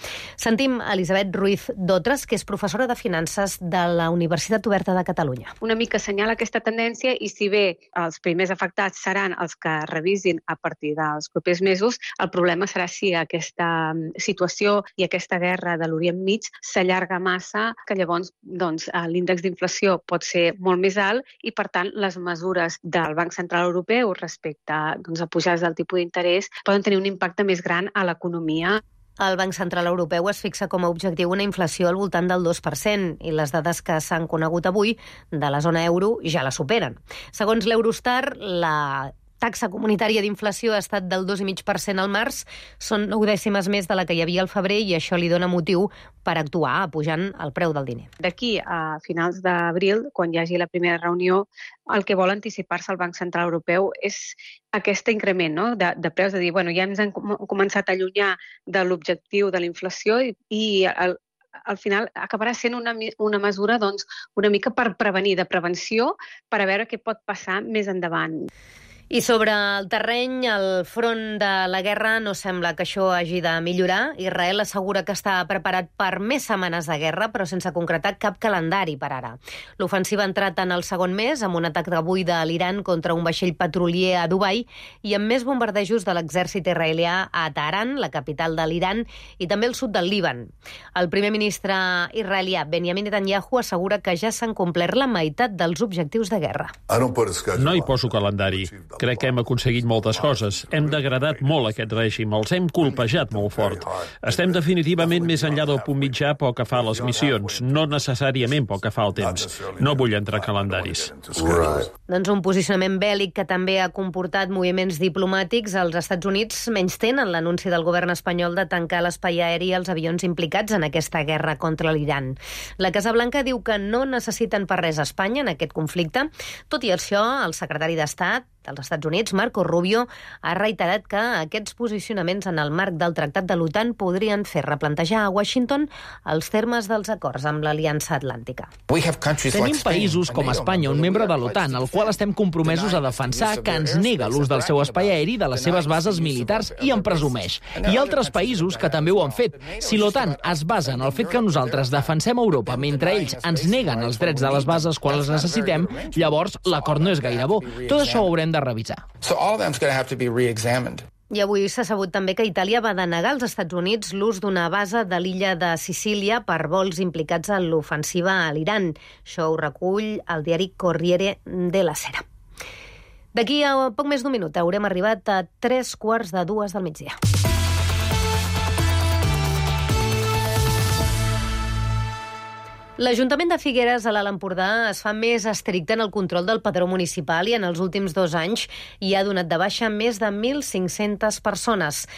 Sentim Elisabet Ruiz Dotres, que és professora de Finances de la Universitat Oberta de Catalunya. Una mica assenyala aquesta tendència i si bé els primers afectats seran els que revisin a partir dels propers mesos, el problema serà si aquesta situació i aquesta guerra de l'Orient Mig s'allarga massa, que llavors doncs, l'índex d'inflació pot ser molt més alt i, per tant, les mesures del Banc Central Europeu respecte doncs, a pujades del tipus d'interès poden tenir un impacte més gran a l'economia. El Banc Central Europeu es fixa com a objectiu una inflació al voltant del dos per cent i les dades que s'han conegut avui de la zona euro ja la superen. Segons l'Eurostar, la taxa comunitària d'inflació ha estat del dos coma cinc per cent al març, són nou dècimes més de la que hi havia al febrer i això li dona motiu per actuar, apujant el preu del diner. D'aquí a finals d'abril, quan hi hagi la primera reunió, el que vol anticipar-se al Banc Central Europeu és aquest increment, no?, de, de preus, de dir, bueno, ja ens hem començat a allunyar de l'objectiu de la inflació i, i el, al final acabarà sent una, una mesura doncs, una mica per prevenir, de prevenció, per a veure què pot passar més endavant. I sobre el terreny, el front de la guerra, no sembla que això hagi de millorar. Israel assegura que està preparat per més setmanes de guerra, però sense concretar cap calendari per ara. L'ofensiva ha entrat en el segon mes, amb un atac d'avui de l'Iran contra un vaixell petrolier a Dubai i amb més bombardejos de l'exèrcit israelià a Teheran, la capital de l'Iran, i també al sud del Líban. El primer ministre israelià, Benjamin Netanyahu, assegura que ja s'han complert la meitat dels objectius de guerra. No hi poso calendari. Crec que hem aconseguit moltes coses. Hem degradat molt aquest règim, els hem colpejat molt fort. Estem definitivament més enllà del punt mitjà pel que fa a les missions, no necessàriament pel que fa al temps. No vull entrar a calendaris. Doncs un posicionament bèl·lic que també ha comportat moviments diplomàtics. Els Estats Units menystenen l'anunci del govern espanyol de tancar l'espai aeri als avions implicats en aquesta guerra contra l'Iran. La Casa Blanca diu que no necessiten per res a Espanya en aquest conflicte. Tot i això, el secretari d'Estat dels Estats Units, Marco Rubio, ha reiterat que aquests posicionaments en el marc del Tractat de l'OTAN podrien fer replantejar a Washington els termes dels acords amb l'Aliança Atlàntica. Tenim països com Espanya, un membre de l'OTAN, al qual estem compromesos a defensar, que ens nega l'ús del seu espai aeri de les seves bases militars i en presumeix. I altres països que també ho han fet. Si l'OTAN es basa en el fet que nosaltres defensem Europa mentre ells ens neguen els drets de les bases quan les necessitem, llavors l'acord no és gaire bo. Tot això ho haurem de revisar. I avui s'ha sabut també que Itàlia va denegar als Estats Units l'ús d'una base de l'illa de Sicília per vols implicats en l'ofensiva a l'Iran. Això ho recull el diari Corriere della Sera. D'aquí a poc més d'un minut haurem arribat a tres quarts de dues del migdia. L'Ajuntament de Figueres, a l'Alt Empordà, es fa més estricte en el control del padró municipal i en els últims dos anys hi ha donat de baixa més de mil cinc-centes persones.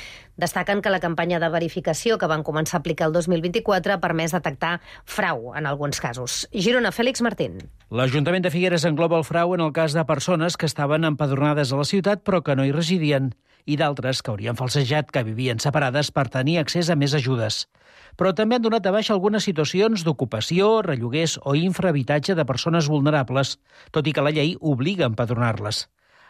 Destaquen que la campanya de verificació que van començar a aplicar el dos mil vint-i-quatre ha permès detectar frau en alguns casos. Girona, Fèlix Martín. L'Ajuntament de Figueres engloba el frau en el cas de persones que estaven empadronades a la ciutat però que no hi residien i d'altres que haurien falsejat que vivien separades per tenir accés a més ajudes. Però també han donat de baixa algunes situacions d'ocupació, relloguers o infrahabitatge de persones vulnerables, tot i que la llei obliga a empadronar-les.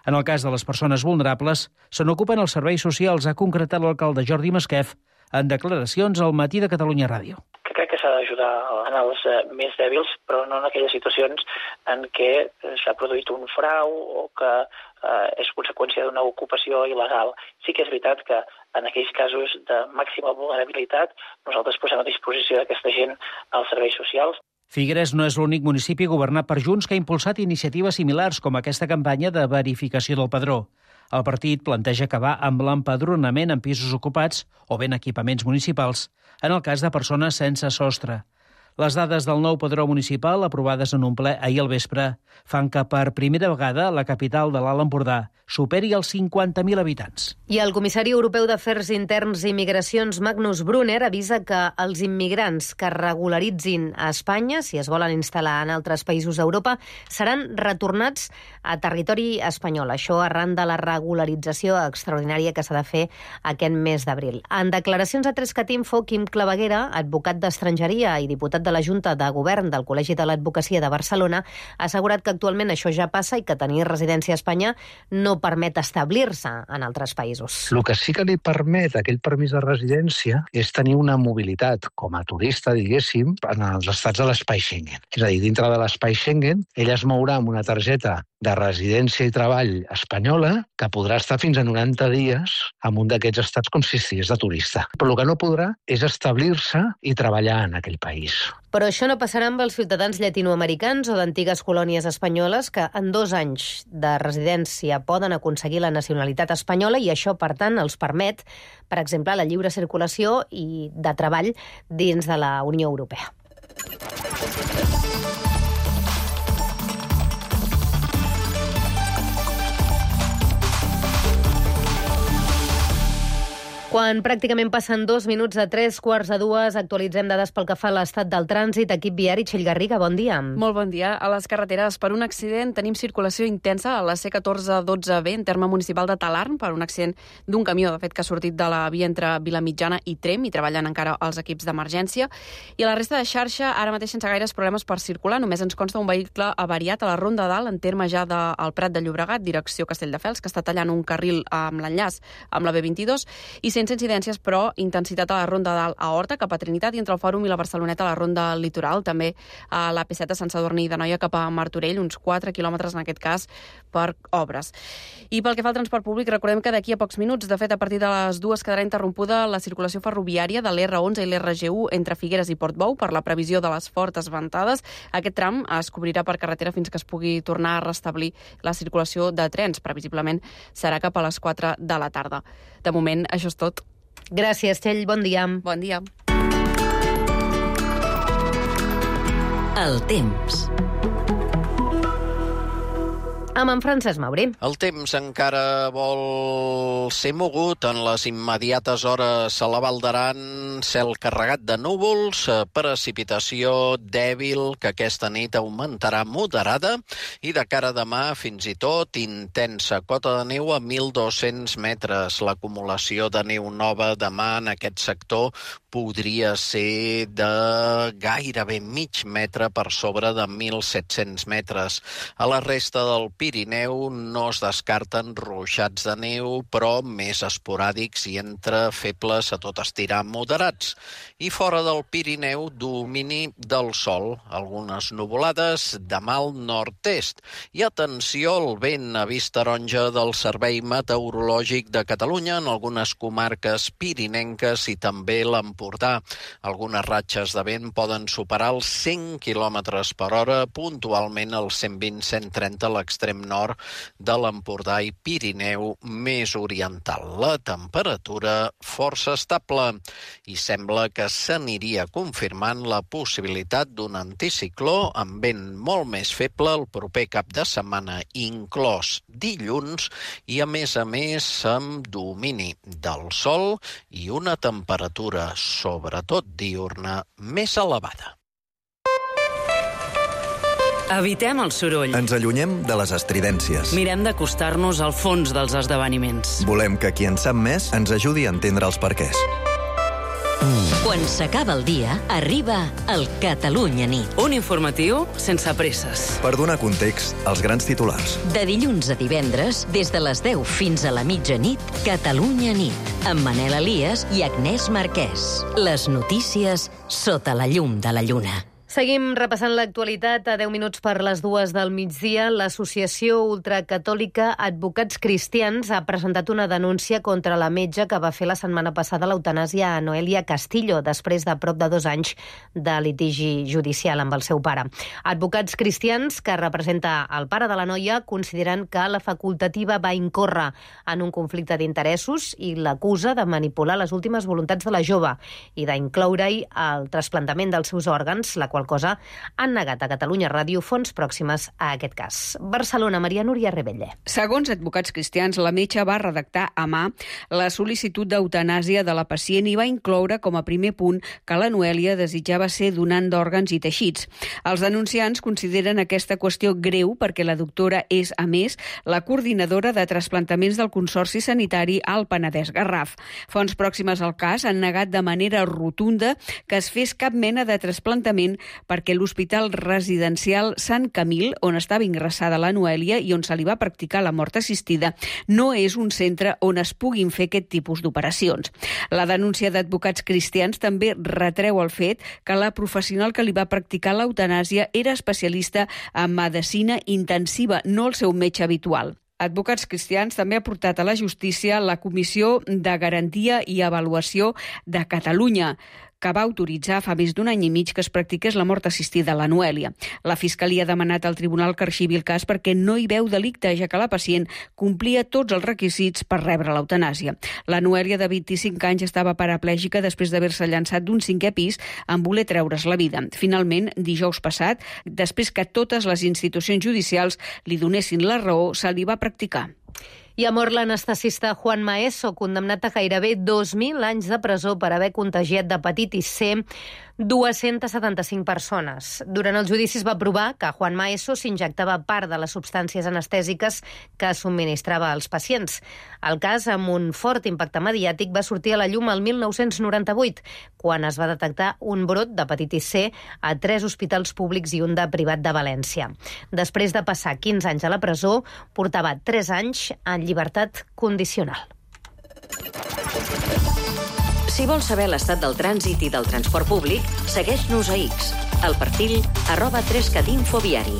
En el cas de les persones vulnerables, se n'ocupen els serveis socials, ha concretat l'alcalde Jordi Masquef en declaracions al Matí de Catalunya Ràdio. Que crec que s'ha d'ajudar en els més dèbils, però no en aquelles situacions en què s'ha produït un frau o que eh, és conseqüència d'una ocupació il·legal. Sí que és veritat que en aquells casos de màxima vulnerabilitat nosaltres posem a disposició d'aquesta gent als serveis socials. Figueres no és l'únic municipi governat per Junts que ha impulsat iniciatives similars com aquesta campanya de verificació del padró. El partit planteja acabar amb l'empadronament en pisos ocupats o ben equipaments municipals, en el cas de persones sense sostre. Les dades del nou padró municipal, aprovades en un ple ahir al vespre, fan que per primera vegada la capital de l'Alt Empordà superi els cinquanta mil habitants. I el comissari europeu d'Afers Interns i Migracions, Magnus Brunner, avisa que els immigrants que regularitzin a Espanya, si es volen instal·lar en altres països d'Europa, seran retornats a territori espanyol. Això arran de la regularització extraordinària que s'ha de fer aquest mes d'abril. En declaracions a Trescat Info, Quim Claveguera, advocat d'estrangeria i diputat de la Junta de Govern del Col·legi de l'Advocacia de Barcelona, ha assegurat que actualment això ja passa i que tenir residència a Espanya no permet establir-se en altres països. El que sí que li permet aquell permís de residència és tenir una mobilitat com a turista, diguéssim, en els estats de l'espai Schengen. És a dir, dintre de l'espai Schengen, ell es mourà amb una targeta de residència i treball espanyola que podrà estar fins a noranta dies en un d'aquests estats com si estigués de turista. Però el que no podrà és establir-se i treballar en aquell país. Però això no passarà amb els ciutadans llatinoamericans o d'antigues colònies espanyoles que en dos anys de residència poden aconseguir la nacionalitat espanyola i això, per tant, els permet, per exemple, la lliure circulació i de treball dins de la Unió Europea. Quan pràcticament passen dos minuts a tres quarts de dues, actualitzem dades pel que fa a l'estat del trànsit. Equip viari, Txell Garriga, bon dia. Molt bon dia. A les carreteres, per un accident, tenim circulació intensa a la C catorze dotze B, en terme municipal de Talarn, per un accident d'un camió, de fet, que ha sortit de la via entre Vilamitjana i Trem, i treballen encara els equips d'emergència. I a la resta de xarxa, ara mateix sense gaires problemes per circular, només ens consta un vehicle avariat a la Ronda Dalt, en terme ja del Prat de Llobregat, direcció Castelldefels, que està tallant un carril amb l'enllaç amb la B vint-i-dos, i vuit-cents incidències, però intensitat a la Ronda d'Alt a Horta, cap a Trinitat, i entre el Fòrum i la Barceloneta a la Ronda Litoral, també a l'A P set a Sant Sadurní d'Anoia cap a Martorell, uns quatre quilòmetres en aquest cas per obres. I pel que fa al transport públic, recordem que d'aquí a pocs minuts, de fet a partir de les dues quedarà interrompuda la circulació ferroviària de l'R onze i l'R G u entre Figueres i Portbou per la previsió de les fortes ventades. Aquest tram es cobrirà per carretera fins que es pugui tornar a restablir la circulació de trens. Previsiblement serà cap a les quatre de la tarda. De moment, això és tot. Gràcies, Txell. Bon dia. Bon dia. El temps. Amb en Francesc Mauri. El temps encara vol ser mogut. En les immediates hores a la Val d'Aran, cel carregat de núvols, precipitació dèbil que aquesta nit augmentarà moderada i de cara a demà fins i tot intensa. Cota de neu a mil dos-cents metres. L'acumulació de neu nova demà en aquest sector podria ser de gairebé mig metre per sobre de mil set-cents metres. A la resta del Pirineu no es descarten ruixats de neu, però més esporàdics i entre febles a tot estirar moderats. I fora del Pirineu, domini del sol, algunes nuvolades de mal nord-est. I atenció al vent, avís taronja del Servei Meteorològic de Catalunya en algunes comarques pirinenques i també l'Empordà. Algunes ratxes de vent poden superar els cent quilòmetres per hora, puntualment els cent vint a cent trenta a l'extrem nord de l'Empordà i Pirineu més oriental. La temperatura força estable i sembla que s'aniria confirmant la possibilitat d'un anticicló amb vent molt més feble el proper cap de setmana, inclòs dilluns, i a més a més amb domini del sol i una temperatura, sobretot diurna, més elevada. Evitem el soroll. Ens allunyem de les estridències. Mirem d'acostar-nos al fons dels esdeveniments. Volem que qui en sap més ens ajudi a entendre els perquès. Quan s'acaba el dia, arriba el Catalunya Nit. Un informatiu sense presses. Per donar context als grans titulars. De dilluns a divendres, des de les deu fins a la mitjanit, Catalunya Nit, amb Manel Elias i Agnès Marquès. Les notícies sota la llum de la lluna. Seguim repassant l'actualitat a deu minuts per les dues del migdia. L'Associació Ultracatòlica Advocats Cristians ha presentat una denúncia contra la metge que va fer la setmana passada l'eutanàsia a Noelia Castillo, després de prop de dos anys de litigi judicial amb el seu pare. Advocats Cristians, que representa el pare de la noia, consideren que la facultativa va incórrer en un conflicte d'interessos i l'acusa de manipular les últimes voluntats de la jove i d'incloure-hi el trasplantament dels seus òrgans, la qual cosa han negat a Catalunya Ràdio fonts pròximes a aquest cas. Barcelona, Maria Núria Rebelle. Segons Advocats Cristians, la metge va redactar a mà la sol·licitud d'eutanàsia de la pacient i va incloure com a primer punt que la Noelia desitjava ser donant d'òrgans i teixits. Els denunciants consideren aquesta qüestió greu perquè la doctora és, a més, la coordinadora de trasplantaments del Consorci Sanitari al Penedès Garraf. Fonts pròximes al cas han negat de manera rotunda que es fes cap mena de trasplantament perquè l'Hospital Residencial Sant Camil, on estava ingressada la Noelia i on se li va practicar la mort assistida, no és un centre on es puguin fer aquest tipus d'operacions. La denúncia d'Advocats Cristians també retreu el fet que la professional que li va practicar l'eutanàsia era especialista en medicina intensiva, no el seu metge habitual. Advocats Cristians també ha portat a la justícia la Comissió de Garantia i Avaluació de Catalunya, que va autoritzar fa més d'un any i mig que es practiqués la mort assistida a la Noelia. La Fiscalia ha demanat al tribunal que arxivi el cas perquè no hi veu delicte, ja que la pacient complia tots els requisits per rebre l'eutanàsia. La Noelia, de vint-i-cinc anys, estava paraplègica després d'haver-se llançat d'un cinquè pis en voler treure's la vida. Finalment, dijous passat, després que totes les institucions judicials li donessin la raó, se li va practicar. I ha mort l'anestesista Juan Maeso, condemnat a gairebé dos mil anys de presó per haver contagiat d'hepatitis C dues-centes setanta-cinc persones. Durant el judici es va provar que Juan Maeso s'injectava part de les substàncies anestèsiques que subministrava als pacients. El cas, amb un fort impacte mediàtic, va sortir a la llum el mil nou-cents noranta-vuit, quan es va detectar un brot d'hepatitis C a tres hospitals públics i un de privat de València. Després de passar quinze anys a la presó, portava tres anys en llibertat condicional. Si vols saber l'estat del trànsit i del transport públic, segueix-nos a X, al perfil arroba tres cat infoviari.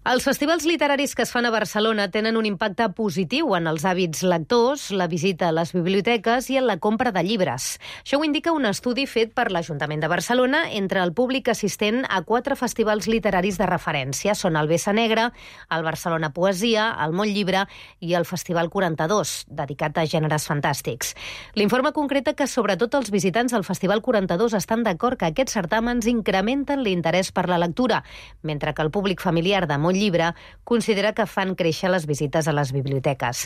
Els festivals literaris que es fan a Barcelona tenen un impacte positiu en els hàbits lectors, la visita a les biblioteques i en la compra de llibres. Això ho indica un estudi fet per l'Ajuntament de Barcelona entre el públic assistent a quatre festivals literaris de referència. Són el Bessa Negra, el Barcelona Poesia, el Mont Llibre i el Festival quaranta-dos, dedicat a gèneres fantàstics. L'informe concreta que sobretot els visitants del Festival quaranta-dos estan d'acord que aquests certàmens incrementen l'interès per la lectura, mentre que el públic familiar de Mont Llibre considera que fan créixer les visites a les biblioteques.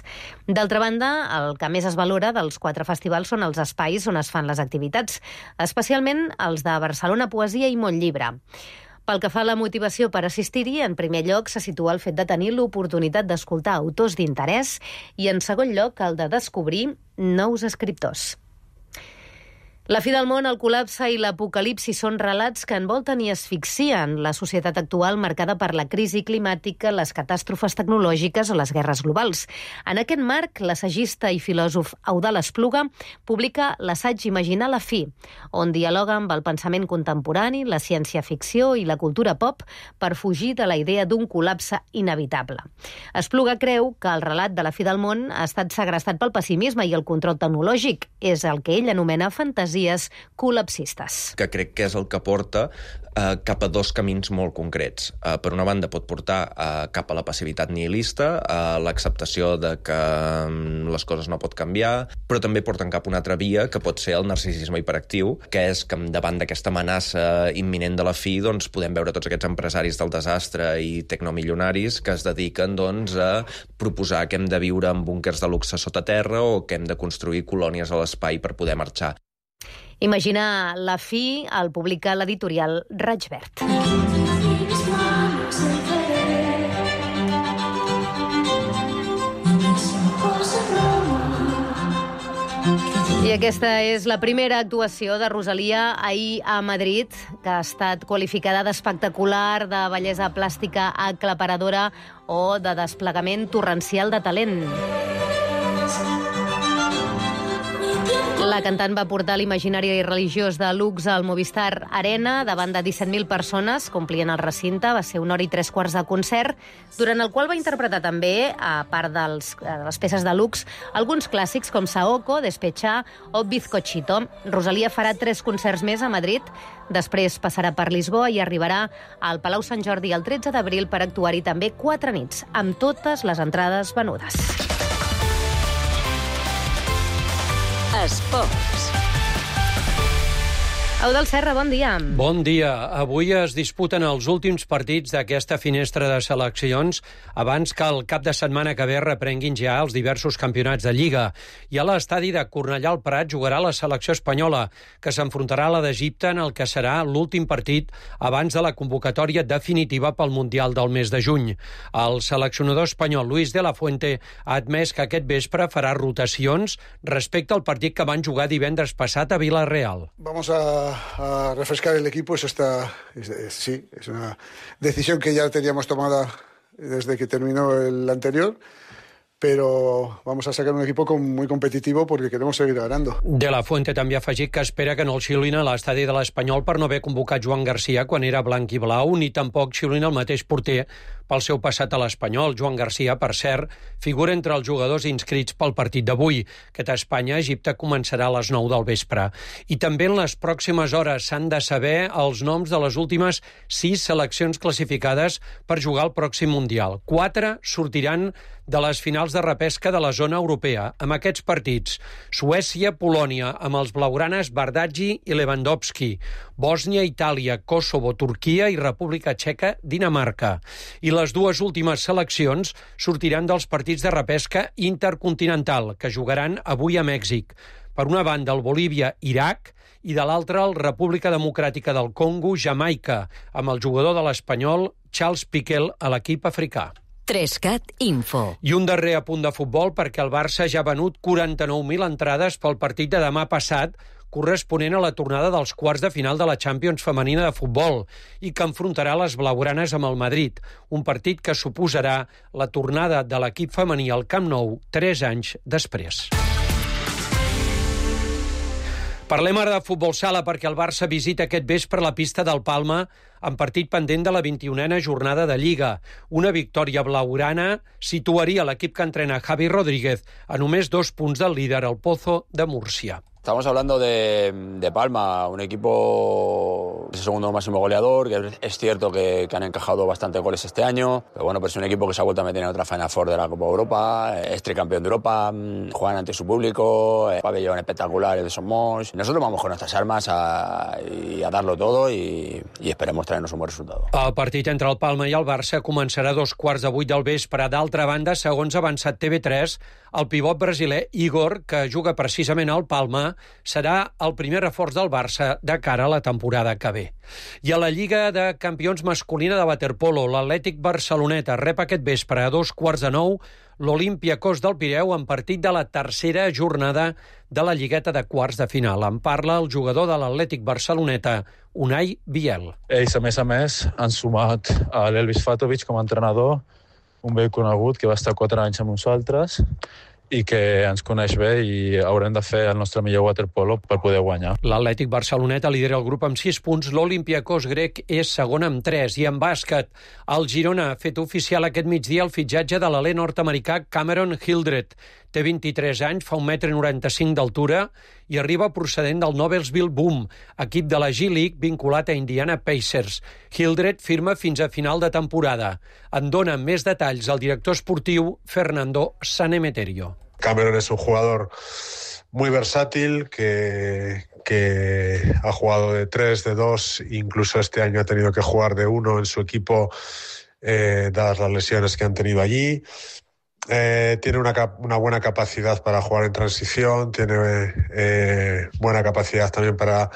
D'altra banda, el que més es valora dels quatre festivals són els espais on es fan les activitats, especialment els de Barcelona Poesia i Mont Llibre. Pel que fa a la motivació per assistir-hi, en primer lloc se situa el fet de tenir l'oportunitat d'escoltar autors d'interès i, en segon lloc, el de descobrir nous escriptors. La fi del món, el col·lapse i l'apocalipsi són relats que envolten i asfixien la societat actual marcada per la crisi climàtica, les catàstrofes tecnològiques o les guerres globals. En aquest marc, l'assagista i filòsof Eudald Espluga publica l'assaig Imaginar la fi, on dialoga amb el pensament contemporani, la ciència-ficció i la cultura pop per fugir de la idea d'un col·lapse inevitable. Espluga creu que el relat de la fi del món ha estat segrestat pel pessimisme i el control tecnològic. És el que ell anomena fantasia col·lapsistes. Que crec que és el que porta eh, cap a dos camins molt concrets. Eh, per una banda, pot portar eh, cap a la passivitat nihilista, a l'acceptació de que um, les coses no pot canviar, però també porten cap a una altra via, que pot ser el narcisisme hiperactiu, que és que davant d'aquesta amenaça imminent de la fi, doncs, podem veure tots aquests empresaris del desastre i tecnomilionaris que es dediquen doncs, a proposar que hem de viure en búnquers de luxe sota terra o que hem de construir colònies a l'espai per poder marxar. Imaginar la fi el publica l'editorial Raig Verd. I aquesta és la primera actuació de Rosalia ahir a Madrid, que ha estat qualificada d'espectacular, de bellesa plàstica aclaparadora o de desplegament torrencial de talent. La cantant va portar l'imaginari religiós de Lux al Movistar Arena davant de disset mil persones, complien el recinte, va ser una hora i tres quarts de concert, durant el qual va interpretar també, a part dels, de les peces de Lux, alguns clàssics com Saoko, Despechá o Bizcochito. Rosalia farà tres concerts més a Madrid, després passarà per Lisboa i arribarà al Palau Sant Jordi el tretze d'abril per actuar-hi també quatre nits, amb totes les entrades venudes. Esports. Eudald Serra, bon dia. Bon dia. Avui es disputen els últims partits d'aquesta finestra de seleccions abans que el cap de setmana que ve reprenguin ja els diversos campionats de Lliga. I a l'estadi de Cornellà al Prat jugarà la selecció espanyola, que s'enfrontarà a la d'Egipte en el que serà l'últim partit abans de la convocatòria definitiva pel Mundial del mes de juny. El seleccionador espanyol Luis de la Fuente ha admès que aquest vespre farà rotacions respecte al partit que van jugar divendres passat a Vila-real. Vamos a a refrescar el equipo. Eso está, es, es, sí, es una decisión que ya teníamos tomada desde que terminó el anterior, pero vamos a sacar un equipo muy competitivo porque queremos seguir ganando. De la Fuente també ha afegit que espera que no el xiulin a l'estadi de l'Espanyol per no haver convocat Joan Garcia quan era blanc i blau, ni tampoc xiulin el mateix porter pel seu passat a l'Espanyol. Joan Garcia, per cert, figura entre els jugadors inscrits pel partit d'avui. Aquest Espanya-Egipte començarà a les nou del vespre. I també en les pròximes hores s'han de saber els noms de les últimes sis seleccions classificades per jugar al pròxim Mundial. Quatre sortiran de les finals de repesca de la zona europea, amb aquests partits: Suècia-Polònia, amb els blaugranes Bardghji i Lewandowski; Bòsnia-Itàlia, Kosovo, Turquia i República Txeca, Dinamarca. I les dues últimes seleccions sortiran dels partits de repesca intercontinental, que jugaran avui a Mèxic. Per una banda, el Bolívia-Iraq, i de l'altra, el República Democràtica del Congo, Jamaica, amb el jugador de l'Espanyol, Charles Piquel, a l'equip africà. Trescat Info. I un darrer apunt de futbol, perquè el Barça ja ha venut quaranta-nou mil entrades pel partit de demà passat, corresponent a la tornada dels quarts de final de la Champions femenina de futbol i que enfrontarà les blaugranes amb el Madrid, un partit que suposarà la tornada de l'equip femení al Camp Nou tres anys després. Parlem ara de futbol sala perquè el Barça visita aquest vespre la pista del Palma en partit pendent de la vint-i-unena jornada de Lliga. Una victòria blaugrana situaria l'equip que entrena Javi Rodríguez a només dos punts del líder, el Pozo de Múrcia. Estamos hablando de, de Palma, un equipo el segundo máximo goleador, que es cierto que, que han encajado bastantes goles este año, pero bueno, pues es un equipo que se ha vuelto a meter en otra Final Four de la Copa Europa, es tricampeón de Europa, juegan ante su público, el pabellón espectacular, el de Somos. Nosotros vamos con nuestras armas a, y a darlo todo y, y esperemos traernos un buen resultado. El partit entre el Palma i el Barça començarà a dos quarts de vuit del vespre. D'altra banda, segons ha avançat T V tres, el pivot brasiler Igor, que juga precisament al Palma, serà el primer reforç del Barça de cara a la temporada que ve. I a la Lliga de Campions masculina de waterpolo, l'Atlètic Barceloneta rep aquest vespre a dos quarts de nou l'Olympiacos del Pireu en partit de la tercera jornada de la Lligueta de quarts de final. En parla el jugador de l'Atlètic Barceloneta, Unai Biel. Ells, a més a més, han sumat a l'Elvis Fatovic com a entrenador, un vell conegut que va estar quatre anys amb nosaltres i que ens coneix bé i haurem de fer el nostre millor waterpolo per poder guanyar. L'Atlètic Barceloneta lidera el grup amb sis punts, l'Olympiacos grec és segon amb tres, i en bàsquet el Girona ha fet oficial aquest migdia el fitxatge de l'alè nord-americà Cameron Hildreth. Té vint-i-tres anys, fa un metre noranta-cinc d'altura i arriba procedent del Noblesville Boom, equip de la G-League vinculat a Indiana Pacers. Hildreth firma fins a final de temporada. En dona més detalls el director esportiu Fernando Sanemeterio. Cameron es un jugador muy versátil que, que ha jugado de tres, de dos, incluso este año ha tenido que jugar de uno en su equipo, eh, dadas las lesiones que han tenido allí. Eh, tiene una, una buena capacidad para jugar en transición, tiene eh, buena capacidad también para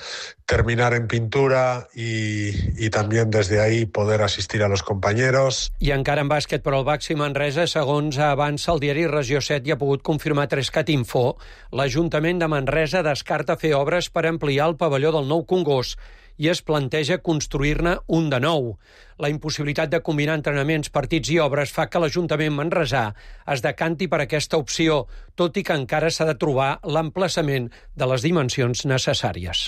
terminar en pintura y, y también desde ahí poder asistir a los compañeros. I encara en bàsquet per al Baxi Manresa, segons avança el diari Regió set i ha pogut confirmar Trescat Info, l'Ajuntament de Manresa descarta fer obres per ampliar el pavelló del Nou Congost i es planteja construir-ne un de nou. La impossibilitat de combinar entrenaments, partits i obres fa que l'Ajuntament manresà es decanti per aquesta opció, tot i que encara s'ha de trobar l'emplaçament de les dimensions necessàries.